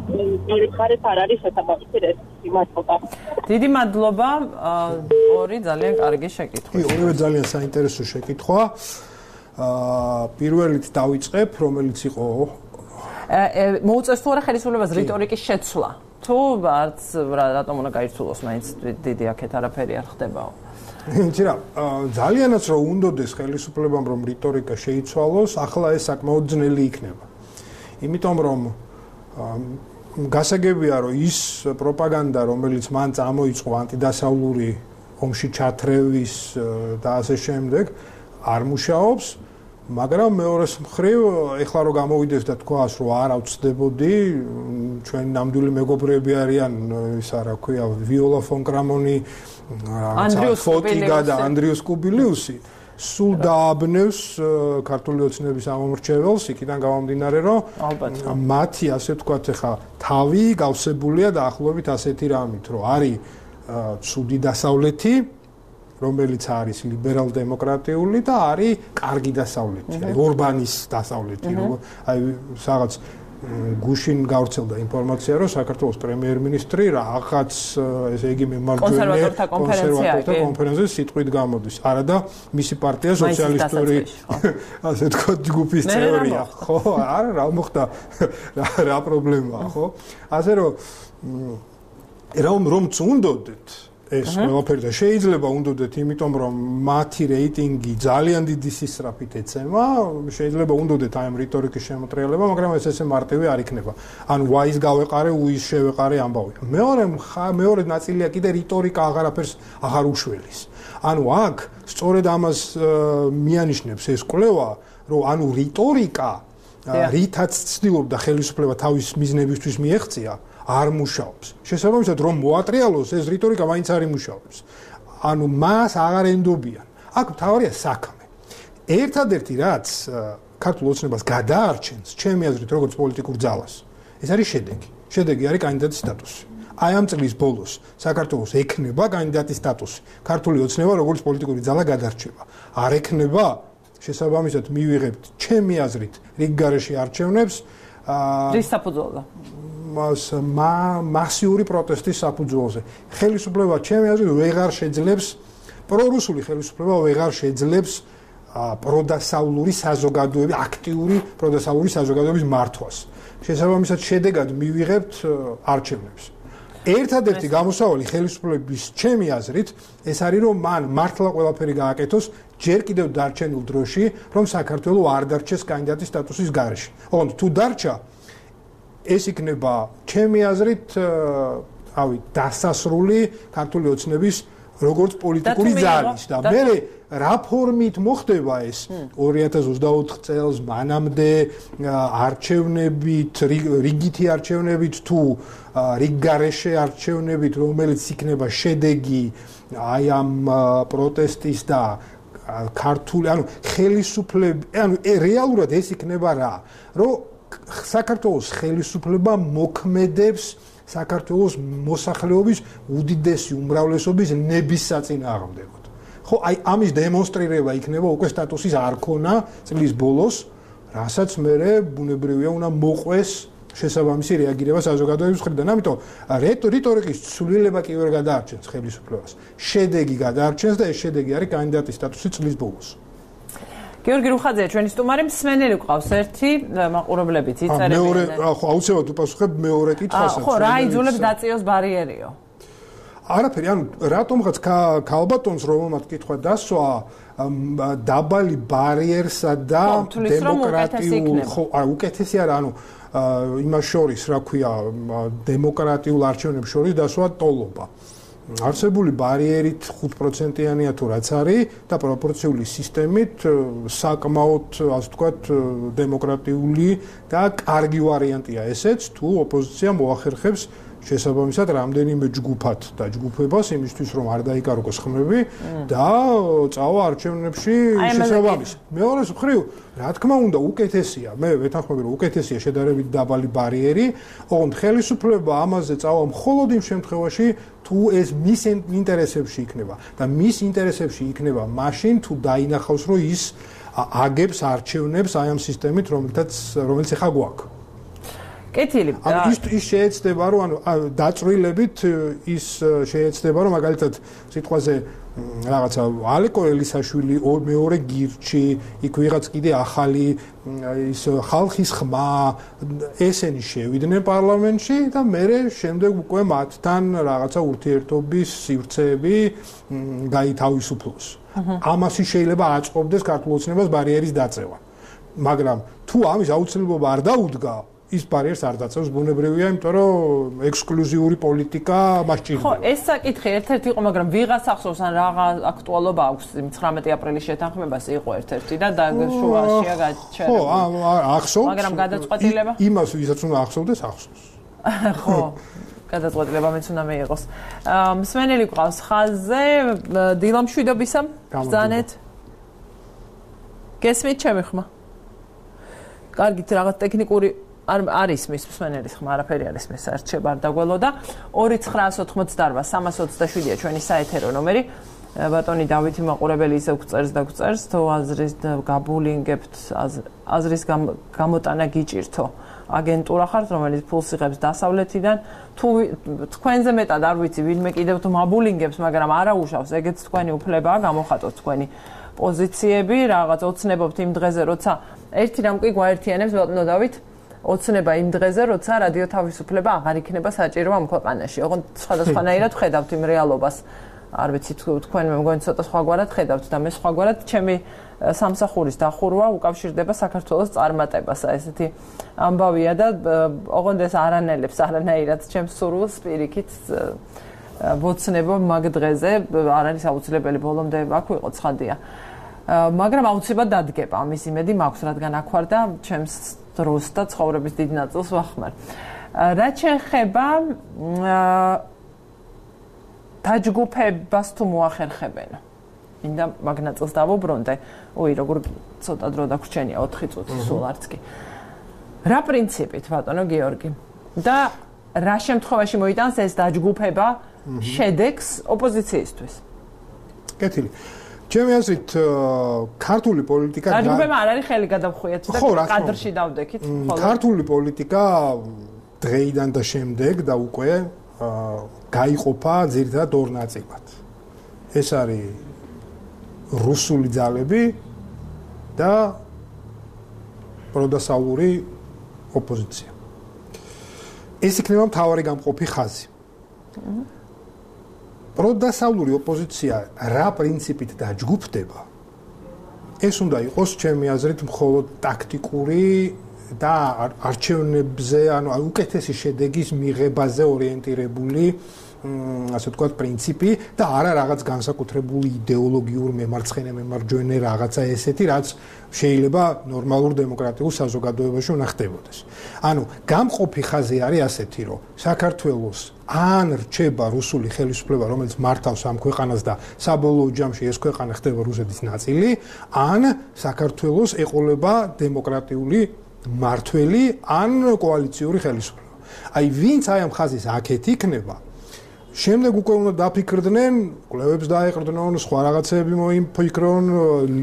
მხარეს არ არის შესაბამისი რესურსი მადლობა დიდი მადლობა ორი ძალიან კარგი შეკითხვა ორივე ძალიან საინტერესო შეკითხვა პირველით დავიწყებ რომელიც იყო მოუწევს თუ არა ხელისუფლებას რიტორიკის შეცვლა თუ არც რატომ უნდა გაიცულოს მაინც დიდი აქეთ არაფერი არ ხდებაო იცი რა ძალიანაც რომ უნდოდეს ხელისუფლებამ რომ რიტორიკა შეიცვალოს ახლა ეს საკმაოდ ძნელი იქნება იმიტომ რომ გასაგებია რომ ის პროპაგანდა რომელიც მან წამოიწყო ანტიდასავლური ომში ჩათრევის და ასე შემდეგ არ მუშაობს მაგრამ მეორეს მხრივ ეხლა რომ გამოვიდეს და თქვას რომ არ ავწდებოდი ჩვენ ნამდვილი მეგობრები არიან ისა რა ქვია ვიოლა ფონ კრამონი ანდრიუს ფოტიგა და ანდრიუს კუბილიუსი სულ დააბნევს ქართული ოცნების ამომრჩეველს იქიდან გამომდინარე რომ მათი ასე ვთქვათ ეხა თავი გავსებულია დაახლოებით ასეთი რამით რომ არის ცუდი დასავლეთი რომელიც არის ლიბერალ-დემოკრატიული და არის კარგი დასავლეთი, აი ორბანის დასავლეთი, აი რაღაც გუშინ გავრცელდა ინფორმაცია, რომ საქართველოს პრემიერ-მინისტრი რაღაც ესე იგი კონსერვატორთა კონფერენციაში სიტყვით გამოდის. არა და მისი პარტია სოციალისტური ასე თქვა ჯგუფის წევრია, ხო? არა, რა მოხდა? რა პრობლემაა, ხო? ასე რომ წუნდოდეთ ეს ყველაფერი და შეიძლება უნდოდეთ, იმიტომ რომ მათი რეიტინგი ძალიან დიდი სისწრაფით ეცემა, შეიძლება უნდოდეთ აი ამ რიტორიკის შემოტრიალება, მაგრამ ეს ესე მარტივი არ იქნება. ანუ ვაის გავეყარე, უის შევეყარე ამბავი. მეორე ნაწილია კიდე რიტორიკა აღარაფერს აღარ უშველის. ანუ აქ სწორედ ამას მიანიშნებს ეს კვლევა, რომ ანუ რიტორიკა რითაც ცდილობდა ხელისუფლება თავის მიზნებისთვის მიეღწია არ მუშაობს. შესაბამისად რომ მოატრიალოს ეს რიტორიკა მაინც არ იმუშავებს. ანუ მას აღარ ენდობიან. აქ მთავარია საქმე. ერთადერთი რაც ქართულ ოცნებას გადაარჩენს, ჩემი აზრით, როგორც პოლიტიკურ ძალას, ეს არის შედეგი. შედეგი არის კანდიდატის სტატუსი. აი ამ წლის ბოლოს საქართველოს ექნება კანდიდატის სტატუსი. ქართული ოცნება როგორც პოლიტიკური ძალა გადარჩება. არ ექნება, შესაბამისად მივიღებთ ჩემი აზრით რიგგარეშე არჩევნებს რის საფუძველზე? მასიური პროტესტის საფუძველზე. ხელისუფლება ჩემი აზრით ვეღარ შეძლებს პრორუსული ხელისუფლება ვეღარ შეძლებს პროდასავლური საზოგადოების აქტიური პროდასავლური საზოგადოების მართვას. შესაბამისად შედეგად მივიღებთ არჩევნებს. ერთადერთი გამოსავალი ხელისუფლების ჩემი აზრით ეს არის რომ მან მართლა ყველაფერი გააკეთოს ჯერ კიდევ დარჩენილ დროში რომ საქართველოს არ დარჩეს კანდიდატის სტატუსის გარეშე. ოღონდ თუ დარჩა ეს იქნება ჩემი აზრით დასასრული ქართული ოცნების როგორც პოლიტიკური ძალის და მე რა ფორმით მოხდება ეს 2024 წელს მანამდე არჩევნებით რიგითი არჩევნებით თუ რიგგარეშე არჩევნებით რომელიც იქნება შედეგი აი ამ პროტესტის და ქართული ანუ ხელისუფლების ანუ რეალურად ეს იქნება რა რომ საქართველოს ხელისუფლება მოქმედებს საქართველოს მოსახლეობის უდიდესი უმრავლესობის ნების საწინააღმდეგოდ. ხო, აი ამის დემონსტრირება იქნება უკვე სტატუსის არქონა წლის ბოლოს, რასაც მე ბუნებრივია უნდა მოყვეს შესაბამისი რეაგირება საზოგადოების მხრიდან. ამიტომ რიტორიკის ცვლილება კი ვერ გადაარჩენს ხელისუფლებას. შედეგი გადაარჩენს და ეს შედეგი არის კანდიდატის სტატუსი წლის ბოლოს. გიორგი რუხაძე, ჩვენი სტუმარი მსმენელი გვყავს ერთი მაყურებლებიც იწერებიან. მეორე, ხო, აუცილებლად უპასუხებ მეორე კითხვასაც. ხო, რა იძულებს დაწიოს ბარიერიო? არაფერი, ანუ რატომღაც ქალბატონს რომელმაც კითხვა დასვა დაბალი ბარიერსა და დემოკრატიულ ხო, უკეთესი არა, ანუ იმას შორის, რა ქვია, დემოკრატიულ არჩევნებს შორის დასვა ტოლობა. არსებული ბარიერით 5%-იანია თუ რაც არის და პროპორციული სისტემით საკმაოდ, ასე ვთქვათ, დემოკრატიული და კარგი ვარიანტია ესეც, თუ ოპოზიცია მოახერხებს შესაბამისად რამდენიმე ჯგუფად და ჯგუფებას იმისთვის რომ არ დაიკარგოს ხმები და წავა არჩევნებში შესაბამისად. მეორე მხრივ, რა თქმა უნდა, უკეთესია, მე ვეთანხმები რომ უკეთესია შედარებით დაბალი ბარიერი, ოღონდ ხელისუფლება ამაზე წავა მხოლოდ იმ შემთხვევაში, თუ ეს მის ინტერესებში იქნება და მის ინტერესებში იქნება მაშინ თუ დაინახავს რომ ის აგებს არჩევნებს აი ამ სისტემით რომელიც ახლა გვაქვს. კეთილი. ის შეეცდება რომ ანუ დაწვრილებით ის შეეცდება რომ მაგალითად სიტყვაზე რაღაცა ალეკო ელისაშვილი მეორე გირჩი იქ ვიღაც კიდე ახალი ის ხალხის ხმა ესენი შევიდნენ პარლამენტში და მე შემდეგ უკვე მათთან რაღაცა ურთიერთობის სივრცეები გაითავისუფლოს. ამას შეიძლება აწყობდეს ქართულ ოცნებას ბარიერის დაწევა. მაგრამ თუ ამის აუცილებლობა არ დაუდგა ის ბარიერს არ დაწევს ბუნებრივია, იმიტომ რომ ექსკლუზიური პოლიტიკა მას ჭირდება. ხო, ეს საკითხი ერთ-ერთი იყო, მაგრამ ვიღაც ახსოვს ან რაღა აქტუალობა აქვს 19 აპრილის შეთანხმებას იყო ერთ-ერთი და შუაშია გაჩერებული. ხო, ახსოვს. მაგრამ გადაწყვეტილება? იმას ვისაც უნდა ახსოვდეს, ახსოვს. ხო. გადაწყვეტილება მეც უნდა მიიღოს. მსმენელი გვყავს ხაზზე, დილამშვიდობისა. ბრძანეთ. გესმით ჩემი ხმა? კარგით, რაღაც ტექნიკური არის მის მსმენელის ხმა, არაფერი არის მის არჩება არ დაგველოდა. 2988 327-ია ჩვენი საეთერო ნომერი. ბატონი დავითი მაყურებელი ისევ გწერს და გწერს, თუ აზრის გაბულინგებთ, აზრის გამოტანა გიჭირთო. აგენტურა ხართ, რომელიც ფულს იღებს დასავლეთიდან, თუ თქვენზე მეტად არ ვიცი, ვინმე კიდევ თუ მაბულინგებს, მაგრამ არა უშავს, ეგეც თქვენი უფლებაა, გამოხატოთ თქვენი პოზიციები, რაღაც ოცნებობთ იმ დღეზე, როცა ერთი რამ კი გვაერთიანებს, ბატონო დავით, ოცნება იმ დღეზე, როცა რადიო თავისუფლება აღარ იქნება საჭირო ამ ქვეყანაში. ოღონდ სხვადასხვანაირად ხედავთ იმ რეალობას. არ ვიცი თქვენ მე მგონი ცოტა სხვაგვარად ხედავთ და მე სხვაგვარად ჩემი სამსახურის დახურვა უკავშირდება საქართველოს წარმატებას. ესეთი ამბავია და ოღონდ ეს არანელებს არანაირად ჩემს სურვილს პირიქით ვოცნება მაგ დღეზე არ არის აუცილებელი ბოლომდე აქ ვიყო ცხადია. მაგრამ აუცილებლად დადგება ამის იმედი მაქვს, რადგან აქ ვარ და ჩემს დროს და ცხოვრების დიდ ნაწილს ვახმარ. რაც შეეხება დაჯგუფებას თუ მოახერხებენ. მინდა მაგ ნაწილს დავუბრუნდე. ოი, როგორ ცოტა დრო დაგვრჩენია 4 წუთი სულ არც კი. რა პრინციპით, ბატონო გიორგი? და რა შემთხვევაში მოიტანს ეს დაჯგუფება შედეგს ოპოზიციისთვის? კეთილი. ჩემი აზრით, ქართული პოლიტიკა დაჯგუფება არ არის ხელი გადავხვიეთ და კადრში დავდექით. ქართული პოლიტიკა დღეიდან და შემდეგ და უკვე გაიყოფა ძირითადად ორ ნაწილად. ეს არის რუსული ძალები და პროდასავლური ოპოზიცია. ეს იქნება მთავარი გამყოფი ხაზი. პროდასავლური ოპოზიცია რა პრინციპით დაჯგუფდება? ეს უნდა იყოს ჩემი აზრით მხოლოდ ტაქტიკური და არჩევნებზე, ანუ უკეთესი შედეგის მიღებაზე ორიენტირებული, ასე ვთქვათ, პრინციპი და არა რაღაც განსაკუთრებული იდეოლოგიურ მემარცხენე-მემარჯვენე რაღაცა ესეთი, რაც შეიძლება ნორმალურ დემოკრატიულ საზოგადოებაში უნდა ხდებოდეს. ანუ გამყოფი ხაზი არის ასეთი, რომ საქართველოს ან რჩება რუსული ხელისუფლება, რომელიც მართავს ამ ქვეყანას და საბოლოო ჯამში ეს ქვეყანა ხდება რუსეთის ნაწილი, ან საქართველოს ეყოლება დემოკრატიული მართველი ან კოალიციური ხელისუფლება. აი ვინც აი ამ ხაზის აქეთ იქნება, შემდეგ უკვე უნდა დაფიქრდნენ, კვლევებს დაეყრდნონ, სხვა რაღაცები მოიფიქრონ,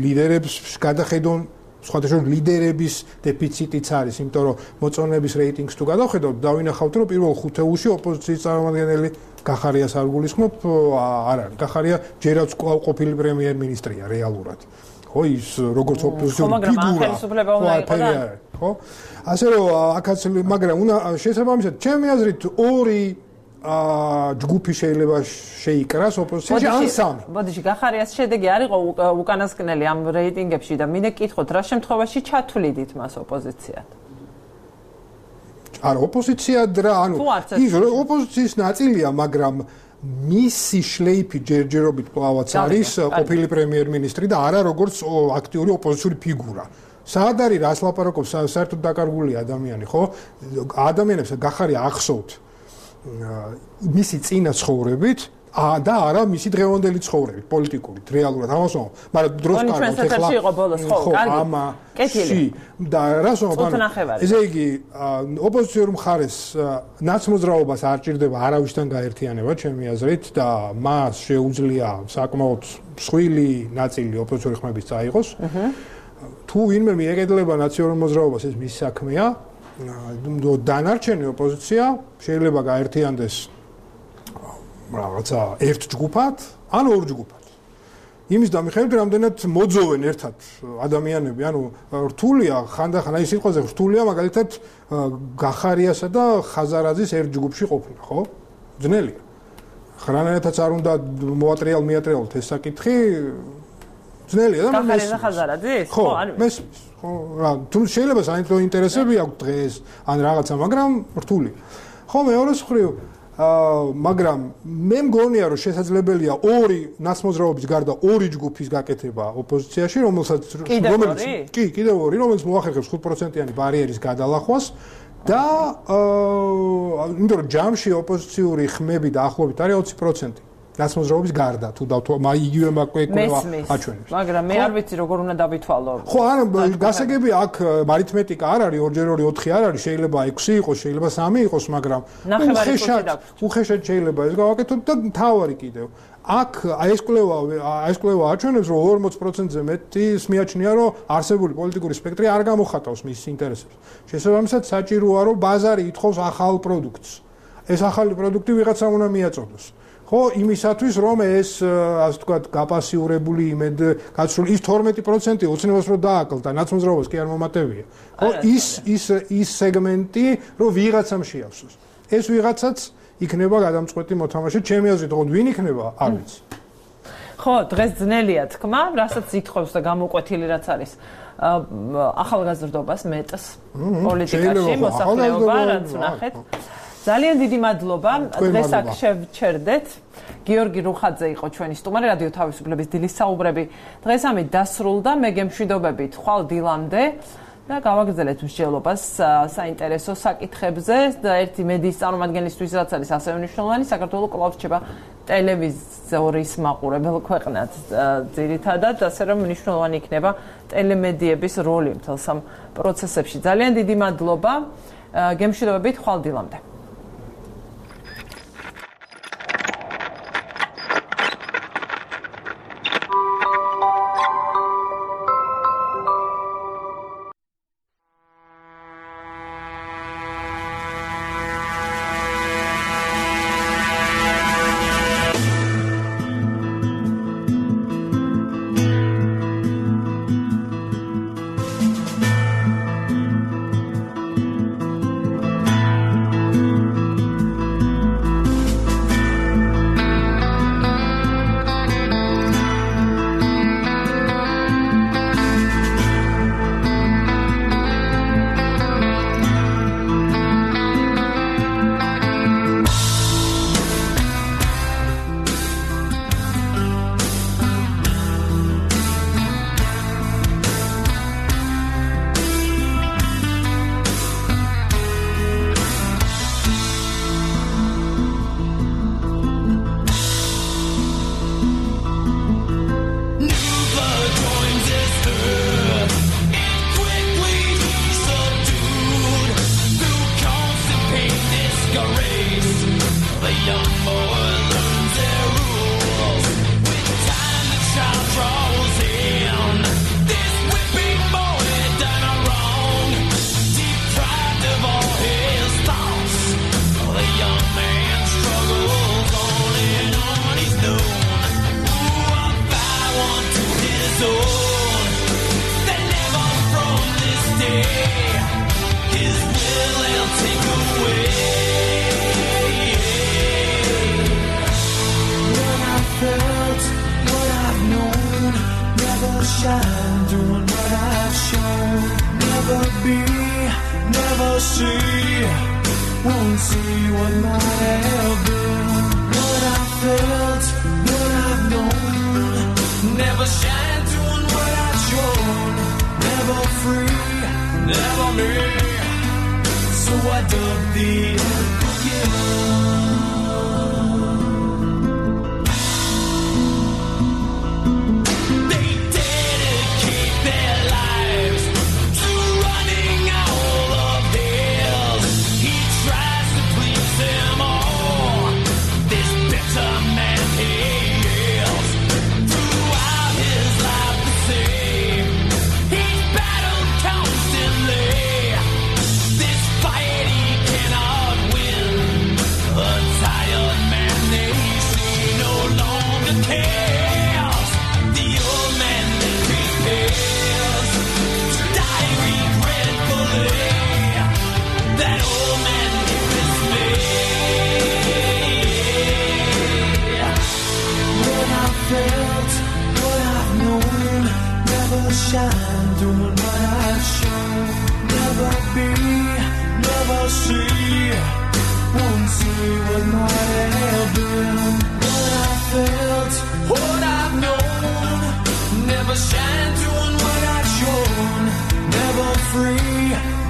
ლიდერებს გადახედონ, სხვათა შორის ლიდერების დეფიციტიც არის, იმიტომ რომ მოწონების რეიტინგს თუ გადავხედავთ, დავინახავთ, რომ პირველ ხუთეულში ოპოზიციის წარმომადგენელი გახარიას არ გულისხმობ, არ არის. გახარია ჯერაც კვლავ ყოფილი პრემიერ-მინისტრია რეალურად. ხო, ის როგორც ოპოზიციური ფიგურა. ხო? ასე რომ აქაც მაგრამ უნდა შესაბამისად ჩემი აზრით ორი ჯგუფი შეიძლება შეიკრას ოპოზიციაში ან სამი. ბოდიში გახარიას შედეგი არ იყო უკანასკნელი ამ რეიტინგებში და მინდა გითხოთ რა შემთხვევაში ჩათვლიდით მას ოპოზიციად? არა ოპოზიციად რა, ანუ ის ოპოზიციის ნაწილია, მაგრამ მისი შლეიფი ჯერჯერობით კლავაც არის ყოფილი პრემიერ-მინისტრი და არა როგორც აქტიური ოპოზიციური ფიგურა. საად არის რას ლაპარაკობს საერთოდ დაკარგული ადამიანი, ხო? ადამიანებს გახარია ახსოვთ მისი წინა ცხოვრებით და არა მისი დღევანდელი ცხოვრებით, პოლიტიკურით, რეალურად ამას ვამბობ. მაგრამ დროს კარგად ეხლა იყო ბოლოს, ხო, კარგი. კეთილი. და რას ვამბობ? ესე იგი, ოპოზიციურ მხარეს ნაცმოძრაობას არ ჭირდება არავისთან გაერთიანება, ჩემი აზრით და მას შეუძლია საკმაოდ მსხვილი ნაწილი ოპოზიციური ხმების წაიღოს. თუ ვინმე მიეკედლება ნაციონალურ მოძრაობას, ეს მის საქმეა. დანარჩენი ოპოზიცია შეიძლება გაერთიანდეს რაღაცა ერთ ჯგუფად, ან ორ ჯგუფად. იმის დამიხებით, რამდენად მოძოვენ ერთად ადამიანები, ანუ რთულია ხანდახან აი სიტყვაზე რთულია მაგალითად გახარიასა და ხაზარაძის ერთ ჯგუფში ყოფნა, ხო? ძნელია. ხრანაეთაც არ უნდა მოატრიალოთ ეს საკითხი. ძნელია და გახარიას და ხაზარაძის? ხო, მესმის. ხო, რა, თუ შეიძლება საინტერესო ინტერესები აქვს დღეს ან რაღაცა, მაგრამ რთულია. ხო, მეორე მხრივ მაგრამ მე მგონია რომ შესაძლებელია ორი ნაცმოძრაობის გარდა ორი ჯგუფის გაკეთება ოპოზიციაში, რომელიც კიდევ ორი, რომელიც მოახერხებს 5%-იანი ბარიერის გადალახვას და იმიტომ რომ ჯამში ოპოზიციური ხმები დაახლოებით არის 20%. რაც მოძრაობის გარდა თუ იგივე მაკეკვევა აჩვენებს. მაგრამ მე არ ვიცი როგორ უნდა დავითვალო. ხო, არა, გასაგები აქ არითმეტიკა არ არის, 2x2 4 არ არის, შეიძლება 6 იყოს, შეიძლება 3 იყოს, მაგრამ უხეშად შეიძლება ეს გავაკეთოთ და თავარი კიდევ. აქ ეს კვლევა აჩვენებს, რომ 40%-ზე მეტის მიაჩნია, რომ არსებული პოლიტიკური სპექტრი არ გამოხატავს მის ინტერესებს. შესაბამისად, საჭიროა, რომ ბაზარი ითხოვს ახალ პროდუქტს. ეს ახალი პროდუქტი ვიღაცამ უნდა მიაწოდოს. ხო, იმისათვის, რომ ეს, ასე ვთქვათ, გაპასიურებული იმედ გაცრული ის 12% ოცნებას რომ დააკლდა, ნაცმოძრაობას კი არ მომატებია. ხო, ის სეგმენტი, რომ ვიღაცამ შეავსოს. ეს ვიღაცაც იქნება გადამწყვეტი მოთამაშე, ჩემი აზრით, თქო, ვინ იქნება, არ ვიცი. ხო, დღეს ძნელია თქმა, რასაც ითხოვს და გამოკვეთილი რაც არის. ახალგაზრდობას მეტს პოლიტიკაში მოსახლეობა რაც ნახეთ. ძალიან დიდი მადლობა. დღეს აქ შევჩერდეთ. გიორგი რუხაძე იყო ჩვენი სტუმარი, რადიო თავისუფლების დილის საუბრები. დღეს ამით დასრულდა. მე გემშვიდობებით ხვალ დილამდე და გავაგრძელეთ მსჯელობას საინტერესო საკითხებზე და ერთი მედიის წარმომადგენლისთვის რაც არის ასევე მნიშვნელოვანი, საქართველოს კვლავ რჩება ტელევიზორის მაყურებელ ქვეყნად ძირითადად, ასე რომ მნიშვნელოვანი იქნება ტელემედიების როლი მთელ სამ პროცესებში. ძალიან დიდი მადლობა. გემშვიდობებით ხვალ დილამდე.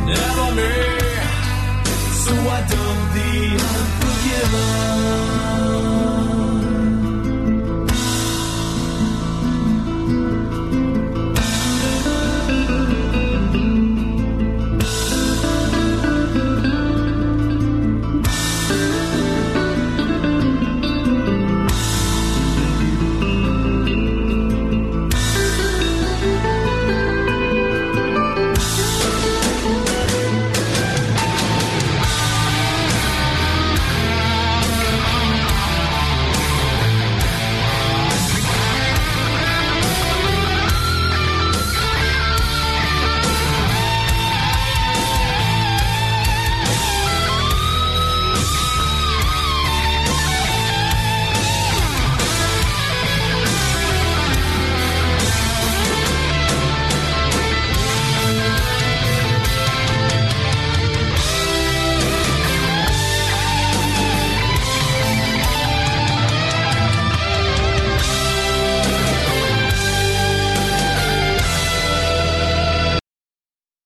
Never me, so I done the unforgiven.